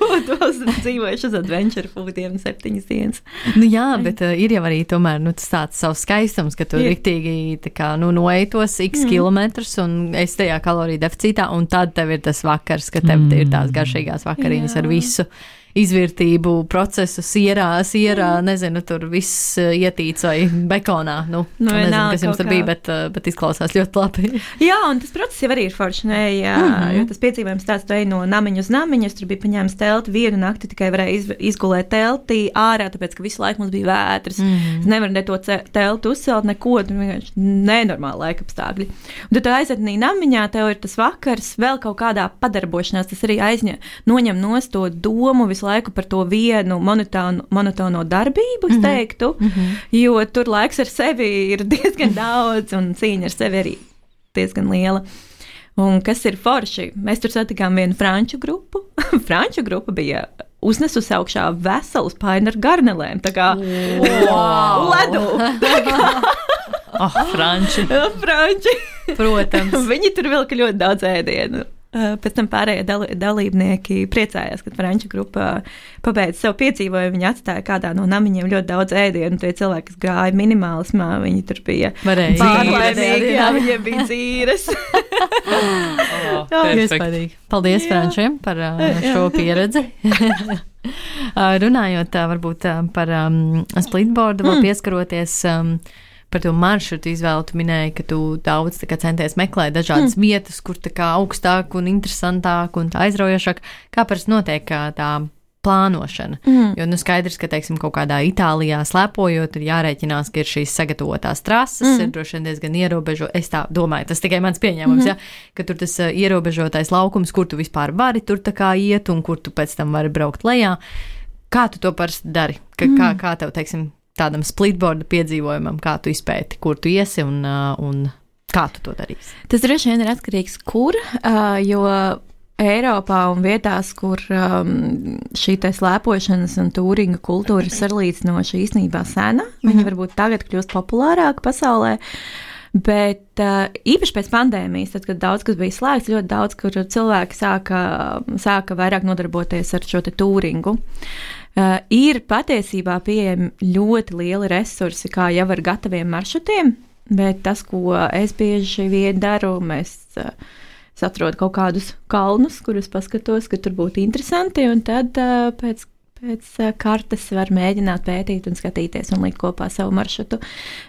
Būtu vēl dzīvojuši uz adventure foodiem septiņas dienas. Nu jā, bet uh, ir jau arī tomēr nu, tas tāds savs skaistums, ka tu ir. Riktīgi tā kā, nu, noeji tos x mm. kilometrus un esi tajā kaloriju deficītā, un tad tev ir tas vakars, ka tev mm. ir tās garšīgās vakariņas jā. Ar visu izvērtību, procesu, sierā, sierā, mm. nezinu, tur viss ietīts vai bekonā. Nu, nu nezinu, kas jums tur bija, bet, bet izklausās ļoti labi. Jā, un tas process jau arī ir forši, ne, jā, mm-hmm. jo tas piedzīvojums tāds, tu ej no namiņa uz namiņu, es tur biju paņēmis telti, vienu nakti tikai varēju iz, izgulēt teltī ārā, tāpēc, ka visu laiku mums bija vētras. Mm-hmm. Es nevaru ne to telti uzcelt, neko, vienkārši nenormāli laika apstākļi. Un tad tu aizvednī namiņā, tev ir tas vakars, vēl kaut kādā padarbošanās, tas arī aizņem, noņem nost to domu visu laiku par to vienu monotonu, monotono darbību, es teiktu, mm-hmm. jo tur laiks ar sevi ir diezgan daudz un cīņa ar sevi arī diezgan liela. Un kas ir forši? Mēs tur satikām vienu franču grupu. Franču grupa bija uznesusi augšā veselus paini ar garnelēm, tā kā wow. ledu. Tā kā oh, franči. Franči. Protams. Viņi tur vilka ļoti daudz ēdienu. Pēc tam pārējie dal- dalībnieki priecājās, kad franču grupa pabeidza savu piedzīvojumu. Viņi atstāja kādā no namiņiem ļoti daudz ēdienu. Tie cilvēki, kas gāja minimālismā, viņi tur bija pārlaimīgi. Jā, viņiem bija dzīves. oh, Iespaidīgi. Paldies jā. Frančiem par uh, šo pieredzi. Runājot uh, varbūt uh, par um, splitboardu, vēl pieskaroties... Um, par to maršrutu izvēlu, tu minēji, ka tu daudz tā kā centies meklēt dažādas mm. vietas, kur tā kā augstāk un interesantāk un tā aizraujošāk. Kā parasti notiek tā plānošana? Mm. Jo, nu, skaidrs, ka, teiksim, kaut kādā Itālijā slēpojot, ir jārēķinās, ka ir šīs sagatavotās trases, mm. ir droši vien diezgan ierobežo. Es tā domāju, tas tikai mans pieņēmums, mm. ja, ka tur tas uh, ierobežotais laukums, kur tu vispār vari tur tā kā iet un kur tu pēc tam vari braukt lejā. Kā tu to parasti dari? Ka, mm. kā, kā tev, teiksim, tādam splitboarda piedzīvojumam, kā tu izpēti, kur tu iesi un, un kā tu to darīsi? Tas droši vien ir atkarīgs, kur, jo Eiropā un vietās, kur šī te slēpošanas un tūringa kultūra ir salīdzinoši īstenībā sena, mm-hmm. viņa varbūt tagad kļūst populārāka pasaulē, bet īpaši pēc pandēmijas, tad, kad daudz kas bija slēgts, ļoti daudz, kur cilvēki sāka, sāka vairāk nodarboties ar šo te tūringu. Uh, ir patiesībā pieejami ļoti lieli resursi, kā jau ar gataviem maršrutiem, bet tas, ko es bieži vien daru, mēs uh, es atrodu kaut kādus kalnus, kurus paskatos, ka tur būtu interesanti, un tad uh, pēc, pēc uh, kartes var mēģināt pētīt un skatīties un likt kopā savu maršrutu.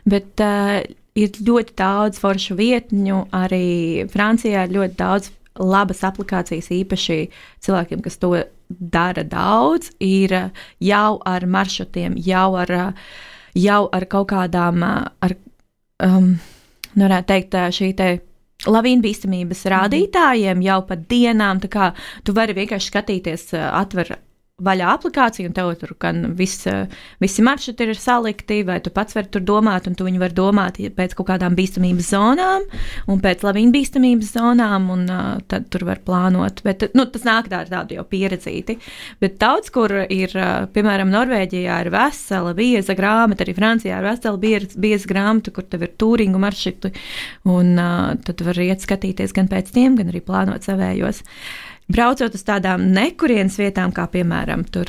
Bet uh, ir ļoti daudz foršu vietņu, arī Francijā ir ļoti daudz labas aplikācijas, īpaši cilvēkiem, kas to dara daudz, ir jau ar maršrutiem, jau ar, jau ar kaut kādām, ar, um, varētu teikt, šī te lavīnu bīstamības rādītājiem jau pat dienām, tā kā tu vari vienkārši skatīties, atver vaļā aplikāciju, un tev tur gan viss, visi maršruti ir salikti, vai tu pats vari tur domāt, un tu viņi var domāt pēc kaut kādām bīstamības zonām, un pēc lavīnu bīstamības zonām, un uh, tad tur var plānot. Bet, nu, tas nāk tā ar tādu jau pieredzīti. Bet daudz, kur ir, uh, piemēram, Norvēģijā ir vesela bieza grāmata, arī Francijā ir vesela bieza, bieza grāmata, kur tev ir tūringu maršruti, un uh, tad var iet skatīties gan pēc tiem, gan arī plānot savējos. Braucot uz tādām nekurienes vietām, kā piemēram, tur,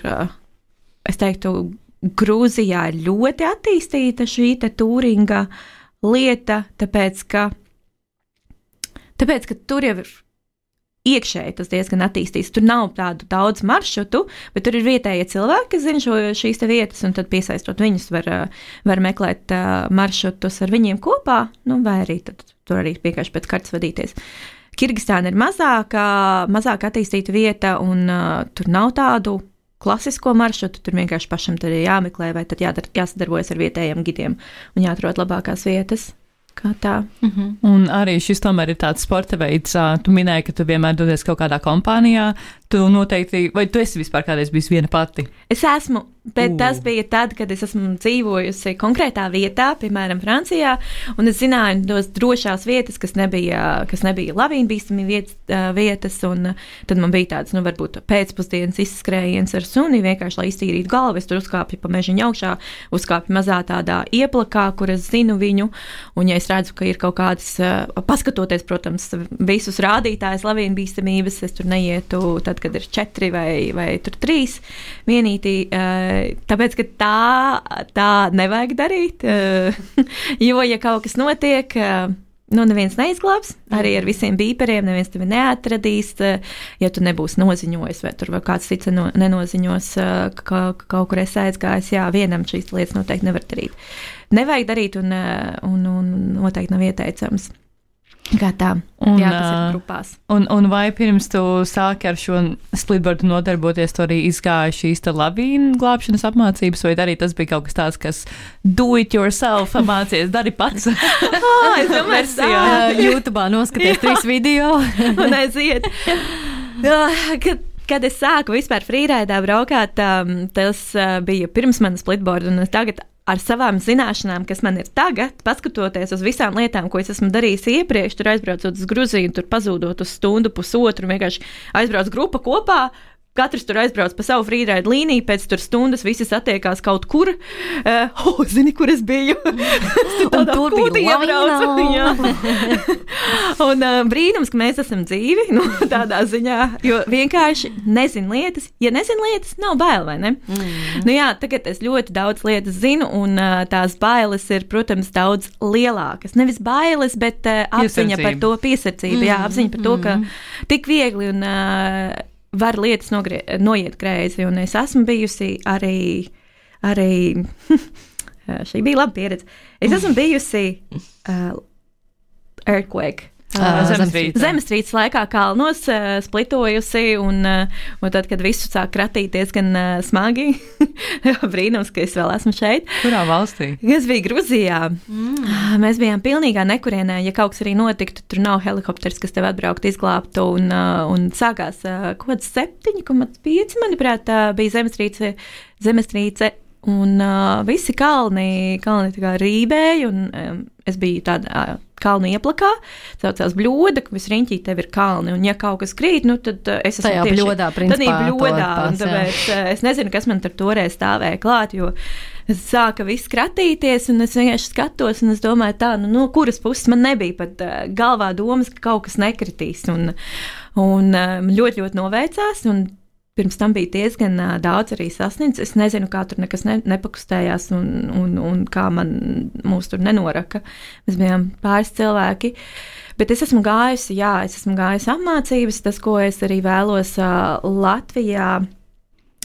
es teiktu, Grūzijā ir ļoti attīstīta šī te tūringa lieta, tāpēc, ka, tāpēc, ka tur jau ir iekšēji tas diezgan attīstīts. Tur nav tādu daudz maršrutu, bet tur ir vietējie cilvēki, kas zina šo, šīs te vietas, un tad piesaistot viņus var, var meklēt maršrutus ar viņiem kopā, nu, vai arī tad tur arī vienkārši pēc kartes vadīties. Kirgistāna ir mazāka, mazāk attīstīta vieta, un uh, tur nav tādu klasisko maršrutu, tur vienkārši pašam tad ir jāmeklē, vai tad jādar, jāsadarbojas ar vietējiem gidiem un jāatrod labākās vietas. Kā tā. Mm-hmm. Un arī šis tomēr ir tāds sporta veids. Tu minēji, ka tu vienmēr dodies kaut kādā kompānijā. Tu noteikti, vai tu esi vispār kādreiz bijis viena pati? Es esmu, bet uh. tas bija tad, kad es esmu dzīvojusi konkrētā vietā, piemēram, Francijā, un es zināju tos drošās vietas, kas nebija, kas nebija lavīnu bīstami vietas, vietas, un tad man bija tāds, nu, varbūt pēcpusdienas izskrējiens ar suni, vienkārši, lai iztīrītu galvu, es tur uzkāpju pa mežiņu augšā, uzkāpju mazā tādā ieplakā, kur es zinu viņu, un ja es redzu, ka ir kaut kādas, paskatoties, protams, visus rādītājus lavīnu bīstamības, es tur neietu tad, kad ir četri vai, vai tur trīs vienītī, tāpēc, ka tā, tā nevajag darīt, jo, ja kaut kas notiek, nu, neviens neizglābs, arī ar visiem bīperiem, neviens tevi neatradīs, ja tu nebūsi noziņojis, vai tur vēl kāds cits nenoziņos, ka kaut kur esi aizgājis, jā, vienam šīs lietas noteikti nevar darīt. Nevajag darīt un, un, un noteikti nav ieteicams. Kā tā, un, jā, tas ir grupās. Un, un vai pirms tu sāki ar šo splitboardu nodarboties, tu arī izgāji šīs te lavīnu glābšanas apmācības, vai arī tas bija kaut kas tāds, kas do it yourself mācies, dari pats? oh, es domāju, tā. YouTube'ā noskaties trīs video. un aiziet. Kad, kad es sāku vispār freeridā braukāt, tas bija pirms manas splitboardu, un tagad ar savām zināšanām, kas man ir tagad, paskatoties uz visām lietām, ko es esmu darījis iepriekš, tur aizbraucot uz Gruziju, tur pazūdot uz stundu, pusotru, vienkārši aizbrauc grupa kopā, katrs tur aizbrauc pa savu freeride līniju, pēc tur stundas visi satiekās kaut kur. Uh, oh, zini, kur es biju? Un tur bija laina. Un uh, brīnums, ka mēs esam dzīvi, nu, tādā ziņā, jo vienkārši nezin lietas. Ja nezin lietas, nav bail, vai ne? Mm. Nu jā, tagad es ļoti daudz lietas zinu, un uh, tās bailes ir, protams, daudz lielākas. Nevis bailes, bet uh, apziņa par to piesardzību. Mm. Jā, apziņa par to, ka tik viegli un... Uh, var lietas nogrie, noiet greizi, un es esmu bijusi arī, arī šī bija laba pieredze, es esmu bijusi uh, earthquake. Uh, Zemestrīce. Zemestrīces laikā kalnos uh, splitojusi, un, uh, un tad, kad visu sāk kratīties gan uh, smagi, brīnums, ka es vēl esmu šeit. Kurā valstī? Es biju Gruzijā. Mm. Mēs bijām pilnīgā nekurienē, ja kaut kas arī notiktu, tur nav helikopters, kas tev atbraukt izglābtu, un, uh, un sākās uh, kaut kāds septiņi komats pieci, manuprāt, uh, bija zemestrīce, zemestrīce, un uh, visi kalni, kalni tā kā rībēja, un um, es biju tādā uh, kalnu ieplakā, saucās bļoda, ka viss riņķī tev ir kalni, un ja kaut kas krīt, nu tad uh, es esmu tajā tieši... bļodā, principā. Tad bļodā, un tāpēc uh, es nezinu, kas man tur toreiz stāvēja klāt, jo sāka viss kratīties, un es vienkārši skatos, un es domāju tā, nu, no kuras puses man nebija pat uh, galvā domas, ka kaut kas nekritīs, un, un uh, ļoti, ļoti noveicās, un pirms tam bija diezgan uh, daudz arī sasniedzis. Es nezinu, kā tur nekas ne, nepakustējās un, un, un kā man mūs tur nenoraka. Mēs bijām pāris cilvēki. Bet es esmu gājusi, jā, es esmu gājusi apmācības. Tas, ko es arī vēlos uh, Latvijā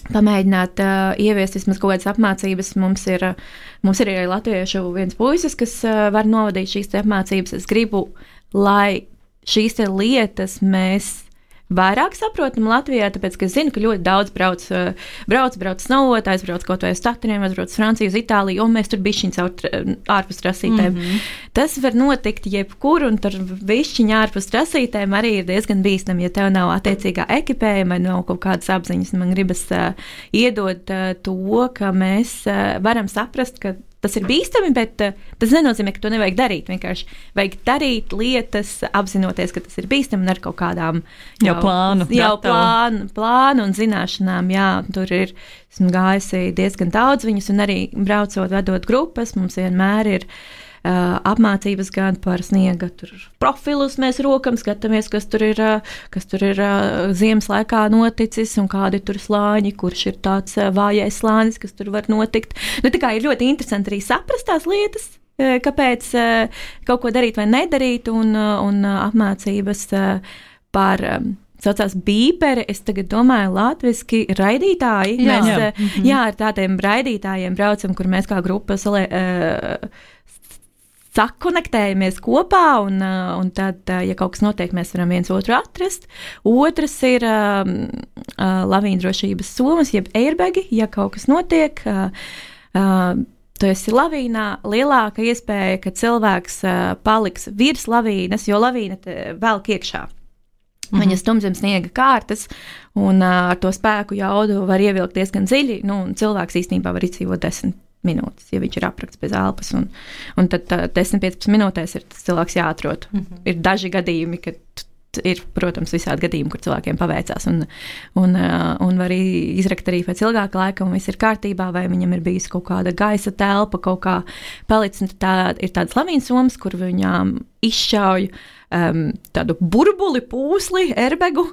pamēģināt uh, ieviest vismaz kaut kādas apmācības. Mums ir, uh, mums ir arī latviešu viens puisis, kas uh, var novadīt šīs apmācības. Es gribu, lai šīs lietas mēs vairāk saprotam Latvijā, tāpēc, ka es zinu, ka ļoti daudz brauc, brauc, brauc snowot, aizbrauc kaut vai uz Tatriem, aizbrauc Franciju, uz Itāliju, un mēs tur bišķiņ caur ārpus trasītēm. Mm-hmm. Tas var notikt jebkur, un tur bišķiņ ārpus trasītēm arī ir diezgan bīstam, ja tev nav attiecīgā ekipējuma, nav kaut kādas apziņas. Man gribas uh, iedot uh, to, ka mēs uh, varam saprast, ka tas ir bīstami, bet uh, tas nenozīmē, ka to nevajag darīt. Vienkārši vajag darīt lietas, apzinoties, ka tas ir bīstami un ar kaut kādām jau, jau plānu, jau plānu, plānu un zināšanām. Jā, tur ir, esmu gājusi diezgan daudz viņus, un arī braucot, vedot grupas, mums vienmēr ir uh, apmācības gan par sniega tur profilus mēs rokam, skatāmies, kas tur ir, uh, kas tur ir uh, ziemas laikā noticis un kādi tur slāņi, kurš ir tāds uh, vājais slānis, kas tur var notikt. Nu, tā kā ir ļoti interesanti arī saprast tās lietas, uh, kāpēc uh, kaut ko darīt vai nedarīt, un, uh, un uh, apmācības uh, par um, saucās bīperi, es tagad domāju latviski raidītāji. Jā, mēs, jā. Uh, jā, ar tādiem raidītājiem braucam, kur mēs kā grupa salē, uh, sakonektējamies kopā, un, uh, un tad, uh, ja kaut kas notiek, mēs varam viens otru atrast. Otrs ir uh, uh, lavīndrošības somas, jeb airbagi, ja kaut kas notiek. Uh, uh, Tu esi lavīnā, lielāka iespēja, ka cilvēks uh, paliks virs lavīnas, jo lavīna velk iekšā. Mm-hmm. Viņa stum zem sniega kārtas, un uh, ar to spēku jaudu var ievilkt diezgan dziļi, nu, un cilvēks īstenībā var izdzīvot desmit minūtes, ja viņš ir aprakts bez elpas, un, un tad uh, desmit piecpadsmit minūtēs ir tas cilvēks jāatrod. Mm-hmm. Ir daži gadījumi, kad ir, protams, visādi gadījumi, kur cilvēkiem paveicās, un, un, uh, un var izrakt arī pēc ilgāka laika, un viss ir kārtībā, vai viņam ir bijis kaut kāda gaisa telpa, kaut kā palicis, un tā ir tādas lavīnas somas, kur viņām izšauj um, tādu burbuli, pūsli, erbegu,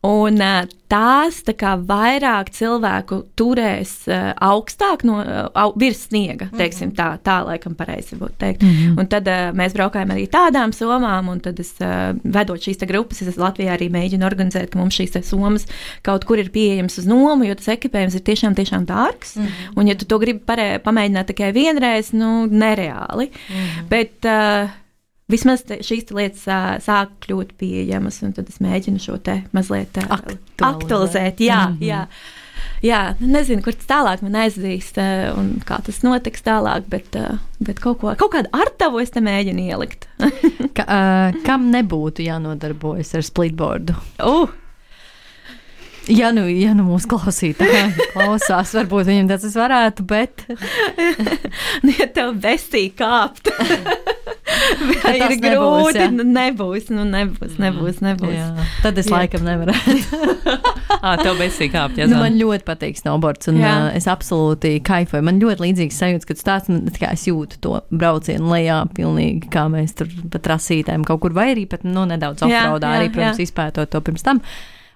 un uh, tās tā kā vairāk cilvēku turēs uh, augstāk no uh, au, virs sniega, teiksim tā, tā laikam pareizi būtu teikt. Mm-hmm. Un tad uh, mēs braukājam arī tādām somām, un tad es uh, vedot šīs te grupas, es Latvijā arī mēģinu organizēt, ka mums šīs te somas kaut kur ir pieejams uz nomu, jo tas ekipējums ir tiešām, tiešām dārgs, mm-hmm. un ja tu to gribi parē, pamēģināt tikai vienreiz, nu, nereāli. Mm-hmm. Bet uh, vismaz te, šīs te lietas uh, sāk kļūt pieejamas, un tad es mēģinu šo te mazliet uh, aktualizēt. aktualizēt. Jā, mm-hmm. jā. Jā, nezinu, kur tas tālāk man aizdīs uh, un kā tas notiks tālāk, bet, uh, bet kaut, ko, kaut kādu artavu es te mēģinu ielikt. Ka, uh, kam nebūtu jānodarbojas ar splitboardu? Uh. Ja nu, ja nu mūsu klausītāji klausās, varbūt viņam tas varētu, bet... Nu, ja tev besī kāpt, vai ir grūti, ja? nu nebūs, nu nebūs, nebūs, nebūs. Jā. Tad es jā. laikam nevarētu. Ā, tev besī kāpt, jā. Nu, man ļoti patīk snowboards, un uh, es absolūti kaifoju. Man ļoti līdzīgs sajūts, kad stāsts, man, kā es jūtu to braucienu lejā pilnīgi, kā mēs tur pa trasītēm kaut kur, vai arī pat, nu, nedaudz offroadā, arī, protams, jā. izpētot to pirms tam.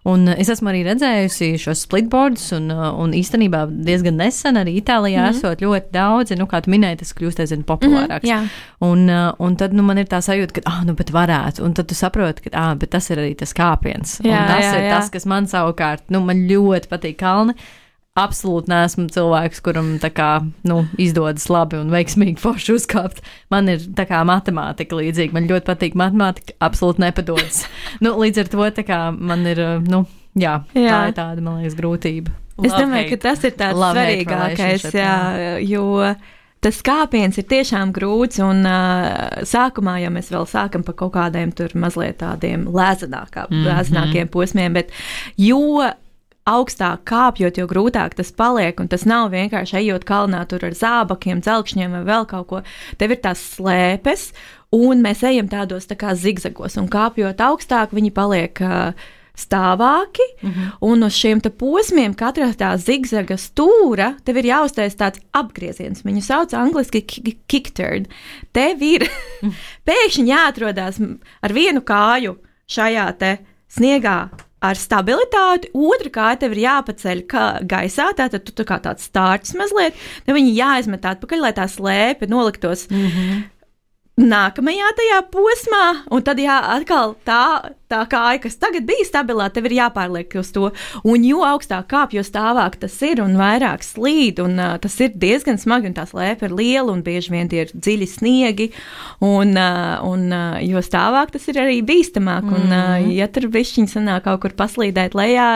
Un es esmu arī redzējusi šos splitboardus, un, un īstenībā diezgan nesen arī Itālijā mm-hmm. esot ļoti daudzi, nu, kā tu minēji, tas kļūst aizvien populārāks. Mm-hmm, un, un tad, nu, man ir tā sajūta, ka, ah, nu, bet varētu, un tad tu saproti, ka, ah, bet tas ir arī tas kāpiens. Jā, un tas jā, ir jā. tas, kas man savukārt, nu, man ļoti patīk kalni. Absolūti neesmu cilvēks, kuram tā kā, nu, izdodas labi un veiksmīgi forši uzkāpt. Man ir tā kā matemātika līdzīga. Man ļoti patīk matemātika, absolūti nepadodas. Nu, līdz ar to tā kā man ir, nu, jā, jā. tā ir tāda, man liekas, grūtība. Es domāju, ka tas ir tāds Love svarīgākais, jā, jo tas kāpiens ir tiešām grūts, un uh, sākumā jau mēs vēl sākam pa kaut kādiem tur mazliet tādiem lēzenākā, mm-hmm. lēzenākiem posmiem, bet jo augstāk kāpjot, jo grūtāk tas paliek, un tas nav vienkārši ejot kalnā tur ar zābakiem, dzelkšņiem vai vēl kaut ko. Tev ir tās slēpes, un mēs ejam tādos tā kā zigzagos, un kāpjot augstāk, viņi paliek uh, stāvāki, mm-hmm. un uz šiem te posmiem katrā tā zigzaga stūra tev ir jāuztais tāds apgrieziens. Viņu sauc angliski kick turn. Tev ir pēkšņi jāatrodās ar vienu kāju šajā te sniegā ar stabilitāti, otra kāja tev ir jāpaceļ kā gaisā, tātad tu tā kā tāds stārķis mazliet, tad viņi jāizmet atpakaļ, lai tā slēpe noliktos mm-hmm. nākamajā tajā posmā, un tad jā, atkal tā, tā kāja, kas tagad bija stabilā, tev ir jāpārliek uz to, un jo augstāk kāp, jo stāvāk tas ir, un vairāk slīd, un uh, tas ir diezgan smagi, un tā slēpe ir liela, un bieži vien tie ir dziļi sniegi, un, uh, un uh, jo stāvāk tas ir arī bīstamāk, mm. un uh, ja tur bišķiņi sanāk kaut kur paslīdēt lejā,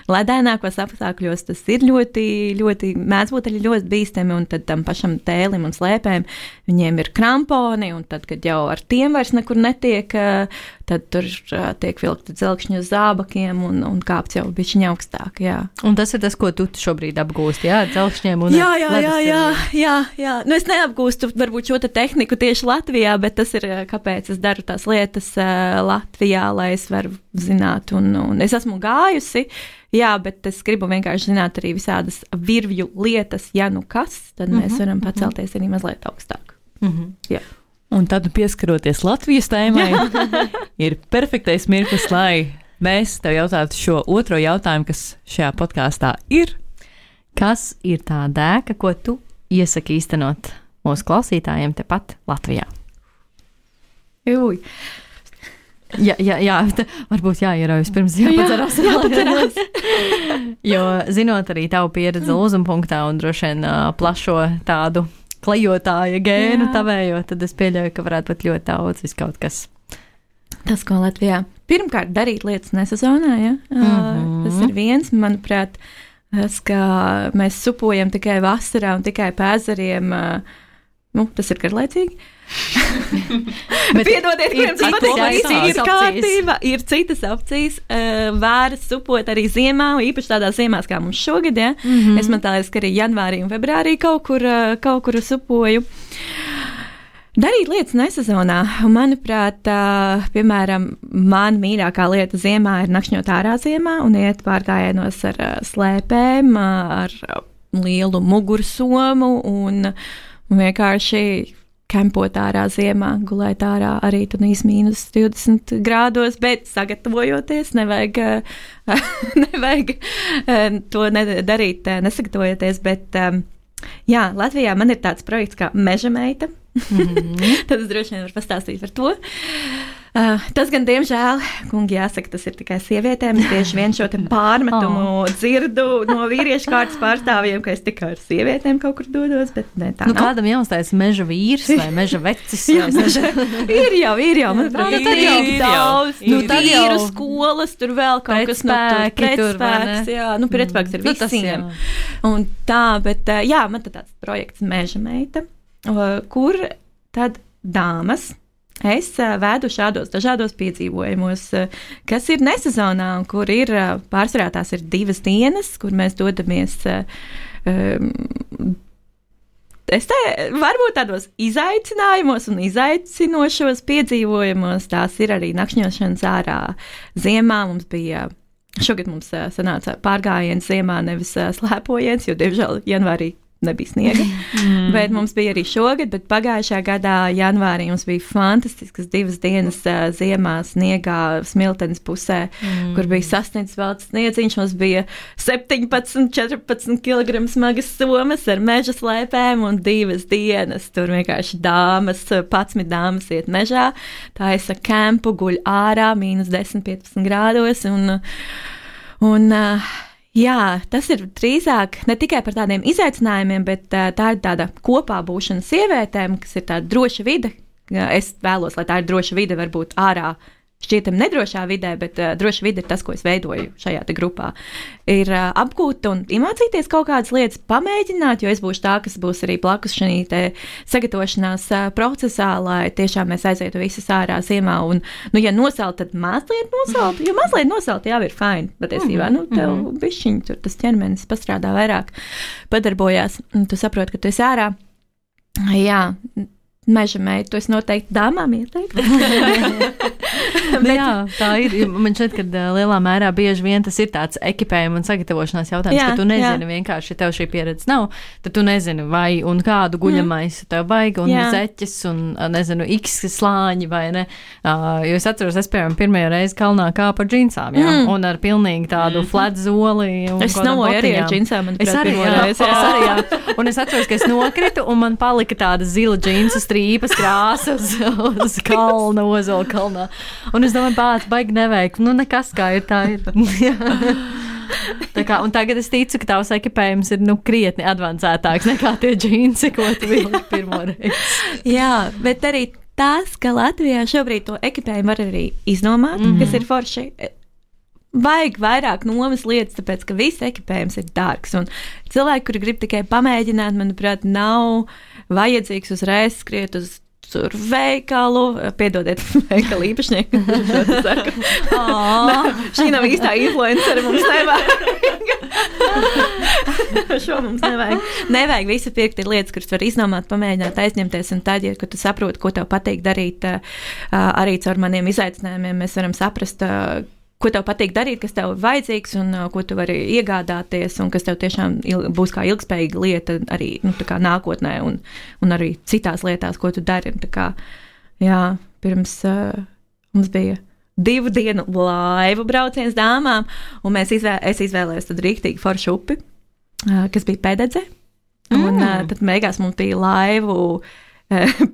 ledēnākos apstākļos, tas ir ļoti, ļoti, mēdz būt arī ļoti bīstami, un tad tam pašam tēlim un slēpēm, viņiem ir kramponi, un tad, kad jau ar tiem vairs nekur netiek, uh, tad tur uh, tiek vilkti dzelkšņi uz zābakiem un, un kāpts jau bišķiņ augstāk, jā. Un tas ir tas, ko tu šobrīd apgūsti, jā, dzelkšņiem un jā, jā, jā, jā, jā, jā. Nu, es neapgūstu varbūt šo te tehniku tieši Latvijā, bet tas ir, kāpēc es daru tās lietas uh, Latvijā, lai es varu zināt, un, un es esmu gājusi, jā, bet es gribu vienkārši zināt arī visādas virvju lietas, ja nu kas, tad mēs mm-hmm, varam pacelties mm-hmm. arī mazliet augstāk. Mm-hmm. Jā. Un tad, pieskaroties Latvijas tēmai, ir perfektais mirklis, lai mēs tev jautātu šo otro jautājumu, kas šajā podkāstā ir. Kas ir tā dēka, ko tu iesaki īstenot mūsu klausītājiem tepat Latvijā? Jūj. Jā, jā, jā, varbūt jāieraujas pirms jāpadzerās. Jā, jāpadzerās. Jo, zinot arī tavu pieredzi Lūzumpunktā un droši vien uh, plašo tādu klejotāja gēnu jā. Tavējo, tad es pieļauju, ka varētu būt ļoti daudz viskaut kas. Tas, ko Latvijā pirmkārt darīt lietas nesezonā, ja? Mm-hmm. Tas ir viens, manuprāt, tas, ka mēs supojam tikai vasarā un tikai pēzariem, nu, tas ir garlaicīgi. Piedodiet, kuriem tas patīk, visi ir kārtība, ir citas opcijas, uh, vēras supot arī ziemā, īpaši tādās ziemās kā mums šogad, ja? Mm-hmm. Es man tā liekas, ka arī janvārī un februārī kaut kur, uh, kaut kur supoju. Darīt lietas nesezonā, un manuprāt, uh, piemēram, man mīļākā lieta ziemā ir nakšņot ārā ziemā un iet pārgājienos ar uh, slēpēm, uh, ar uh, lielu mugursomu un, un vienkārši kempot ārā ziemā, gulēt ārā arī tunīs mīnus divdesmit grādos, bet sagatavojoties, nevajag, nevajag to darīt, nesagatavojoties, bet jā, Latvijā man ir tāds projekts kā Meža meita, mm-hmm. tad es droši vien varu pastāstīt par to. Uh, tas gan, diemžēl, kungi, jāsaka, tas ir tikai sievietēm. Es tieši vien šo te pārmetumu oh. dzirdu no vīriešu kārtas pārstāvjiem, ka es tikai ar sievietēm kaut kur dodos, bet ne tā. Nu, nav. Kādam jāuzstājas meža vīrs vai meža vecis? Jā, meža... ir jau, ir jau, manuprāt, nu, tad jau daudz. Nu, tad jau skolas, tur vēl kaut kas no tur pretspēks, jā, nu, pretspēks ir visiem. Nu, un tā, bet, jā, man tad tāds projekts Meža meita, kur tad dāmas es vēdu šādos dažādos piedzīvojumos, kas ir nesezonā un kur ir pārsvarā tās ir divas dienas, kur mēs dodamies um, es te varbūt tādos izaicinājumos un izaicinošos piedzīvojumos, tās ir arī nakšņošanas ārā ziemā. Mums bija, šogad mums sanāca pārgājiens ziemā, nevis slēpojiens, jo, diemžēl, janvārī nebija sniega, mm. bet mums bija arī šogad, bet pagājušajā gadā janvārī mums bija fantastiskas divas dienas uh, ziemā sniegā Smiltenes pusē, mm. kur bija sasniedzis vēl sniedziņš, mums bija septiņpadsmit, četrpadsmit kilogramu smagas somas ar meža slēpēm un divas dienas, tur vienkārši dāmas, padsmit dāmas iet mežā, taisa kempu, guļ ārā, mīnus desmit, piecpadsmit grādos un, un uh, jā, tas ir drīzāk ne tikai par tādiem izaicinājumiem, bet uh, tā ir tāda kopā būšana sievietēm, kas ir tāda droša vide. Es vēlos, lai tā ir droša vide, varbūt ārā šķietam nedrošā vidē, bet uh, droša vide ir tas, ko es veidoju šajā te grupā. Ir uh, apgūt un iemācīties kaut kādas lietas, pamēģināt, jo es būšu tā, kas būs arī blakus šī te sagatavošanās uh, procesā, lai tiešām mēs aizietu visas ārā ziemā un, nu, ja nosalt, tad mazliet nosalt, jo mazliet nosalt jau ir fine, patiesībā, mm-hmm. nu, tev bišķiņ, tur tas ķermenis pastrādā vairāk, padarbojās, un tu saproti, ka tu esi ārā. Jā, meža meita, to es noteikti dāmām ieteiktu. Bet, jā, tā ir. Man šķiet, ka lielā mērā bieži vien tas ir tāds ekipējuma un sagatavošanās jautājums, jā, ka tu nezini jā. vienkārši, ja tev šī pieredze nav, tad tu nezini, vai un kādu guļamais mm. tev vajag, un jā. zeķes, un, nezinu, x slāņi, vai ne. Uh, jo es atceros, es, piemēram, pirmajā reizi kalnā kāpu ar džinsām, jā, mm. un ar pilnīgi tādu mm. flat zoli. Es navoju arī ar džinsām. Es arī, jā, reizi, jā. es arī, jā. Un es atceros, ka es nokritu, un man palika tāda zila džinsu strīpas krāsa uz, uz kalna, ozola kalnā. Un es domāju, bāc, baigi nevajag. Nu, nekas kā ir, tā ir. Tā kā, un tagad es ticu, ka tavs ekipējums ir, nu, krietni advancētāks nekā tie džinsi, ko tu vilki pirmo reizi. Jā, bet arī tās, ka Latvijā šobrīd to ekipējumu var arī iznomāt, mm-hmm. kas ir forši. Vajag vairāk nomas lietas, tāpēc, ka viss ekipējums ir dārgs. Un cilvēki, kuri grib tikai pamēģināt, manuprāt, nav vajadzīgs uzreiz skriet uz tur veikalu, piedodiet veikalu īpašnieku. Šī nav īstā influencere, mums nevajag. Šo mums nevajag. Nevajag visu pirkt, ir lietas, kuras var iznomāt, pamēģināt, aizņemties, un tad, ja tu saproti, ko tev patīk darīt, arī caur maniem izaicinājumiem, mēs varam saprast, ko tev patīk darīt, kas tev ir vajadzīgs un uh, ko tu vari iegādāties un kas tev tiešām il- būs kā ilgspējīga lieta arī nu, tā kā nākotnē un, un arī citās lietās, ko tu dari. Tā kā, jā, pirms uh, mums bija divu dienu laivu brauciens dāmām, un mēs izvē- es izvēlējos tad rīktīgi foršu upi, uh, kas bija Pededze, mm. un uh, tad beigās mums bija laivu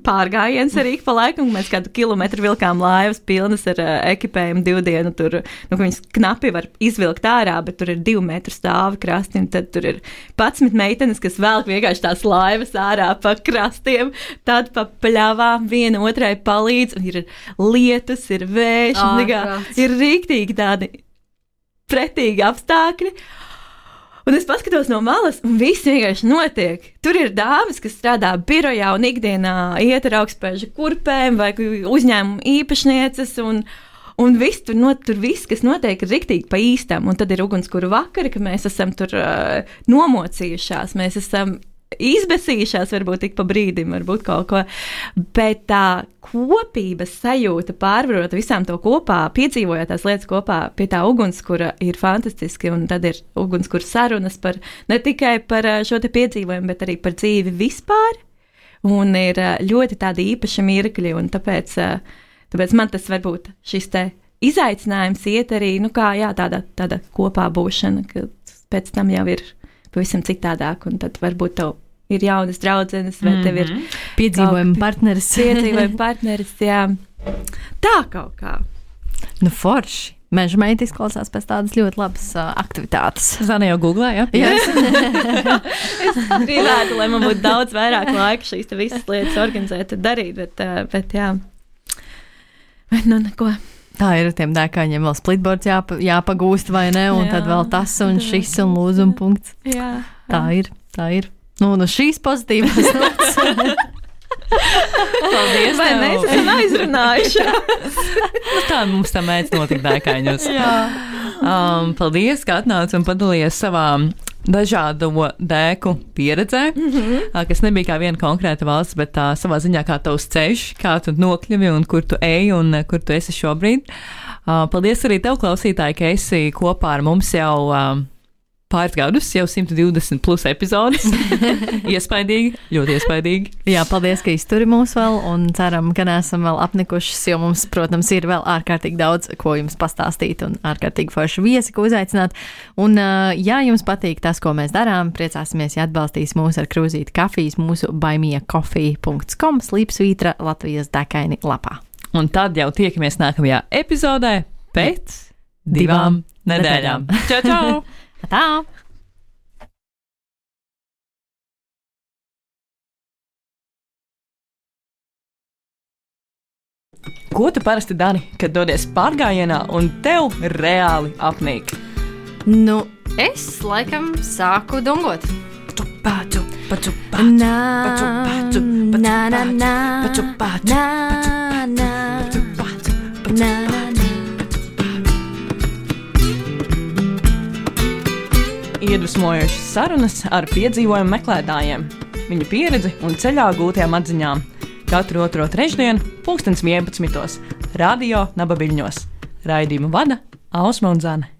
pārgājiens arī pa laikam, mēs kādu kilometru vilkām laivas pilnas ar uh, ekipējumu divu dienu, tur, nu, viņas knapi var izvilkt ārā, bet tur ir divu metru stāvi krasti, un tad tur ir padsmit meitenes, kas velk vienkārši tās laivas ārā pa krastiem, tad pa pļavām viena otrai palīdz, un ir lietus, ir vējš, oh, un, ir rīktīgi tādi pretīgi apstākļi. Un es paskatos no malas, un viss vienkārši notiek. Tur ir dāmas, kas strādā birojā un ikdienā iet ar augstspēžu kurpēm vai uzņēmumu īpašnieces, un, un viss tur, not, tur viss, kas notiek, ir riktīgi pa īstam. Un tad ir ugunskura vakari, ka mēs esam tur uh, nomocījušās, mēs esam izbesījušās, varbūt tik pa brīdim, varbūt kaut ko, bet tā kopības sajūta pārvarot visām to kopā, piedzīvojot tās lietas kopā pie tā ugunskura ir fantastiski, un tad ir ugunskura sarunas par, ne tikai par šo te piedzīvojumu, bet arī par dzīvi vispār, un ir ļoti tādi īpaši mirkļi, un tāpēc, tāpēc man tas varbūt šis te izaicinājums iet arī, nu kā, jā, tāda, tāda kopā būšana, ka pēc tam jau ir pavisam citādāk, un tad varbūt tev ir jaunas draudzenes, vai tev ir piedzīvojuma partneris. Piedzīvojuma partneris, jā. Tā kaut kā. Nu, forši. Meža meita izklausās pēc tādas ļoti labas uh, aktivitātes. Zana jau googlē, ja? Jā. Es gribētu, lai man būtu daudz vairāk laika šīs te visas lietas organizēt un darīt, bet, uh, bet jā. Bet nu neko. Tā ir ar tiem dēkaņiem vēl splitboards jāpa, jāpagūst vai ne, un jā, tad vēl tas un šis un lūzuma punkts. Jā. Tā ir, tā ir. Nu, no šīs pozitīvas notas. Paldies, vai mēs esam aizrunājuši? Nu, tā mums tā mēdz notikt dēkaņos. Jā. Um, paldies, ka atnāc un padalījies savā dažādo dēku pieredzē, mm-hmm. kas nebija kā viena konkrēta valsts, bet tā savā ziņā kā tavs ceļš, kā tu nokļuvi un kur tu ej un kur tu esi šobrīd. Uh, paldies arī tev, klausītāji, ka esi kopā ar mums jau uh, pāris gadus, jau simt divdesmit plus epizodes. Iespaidīgi, ļoti iespaidīgi. Jā, paldies, ka izturi mūs vēl, un ceram, ka neesam vēl apnikušas, jo mums, protams, ir vēl ārkārtīgi daudz, ko jums pastāstīt, un ārkārtīgi forši viesi, ko uzaicināt. Un, ja jums patīk tas, ko mēs darām, priecāsimies, ja atbalstīs mūs ar krūzīti kafijas mūsu buymeacoffee dot com slīpsvītra Latvijas dekaini lapā. Un tad jau tiekamies nākamajā epizodē pēc divām nedēļām. Čau, čau! Tā! Ko tu parasti dari, kad dodies pārgājienā un tev reāli apnīk? Nu, es laikam sāku dungot. Paču, paču, paču, Nā, paču, paču, paču, nā, nā, nā, paču, paču, nā, nā, paču, paču, paču, nā, nā, nā. Iedvesmojošas sarunas ar piedzīvojumu meklētājiem, viņu pieredzi un ceļā gūtajām atziņām. katru otro trešdienu, pulkstens vienpadsmitos, Radio Naba Viļņos. Raidījumu vada Ausma un Zane.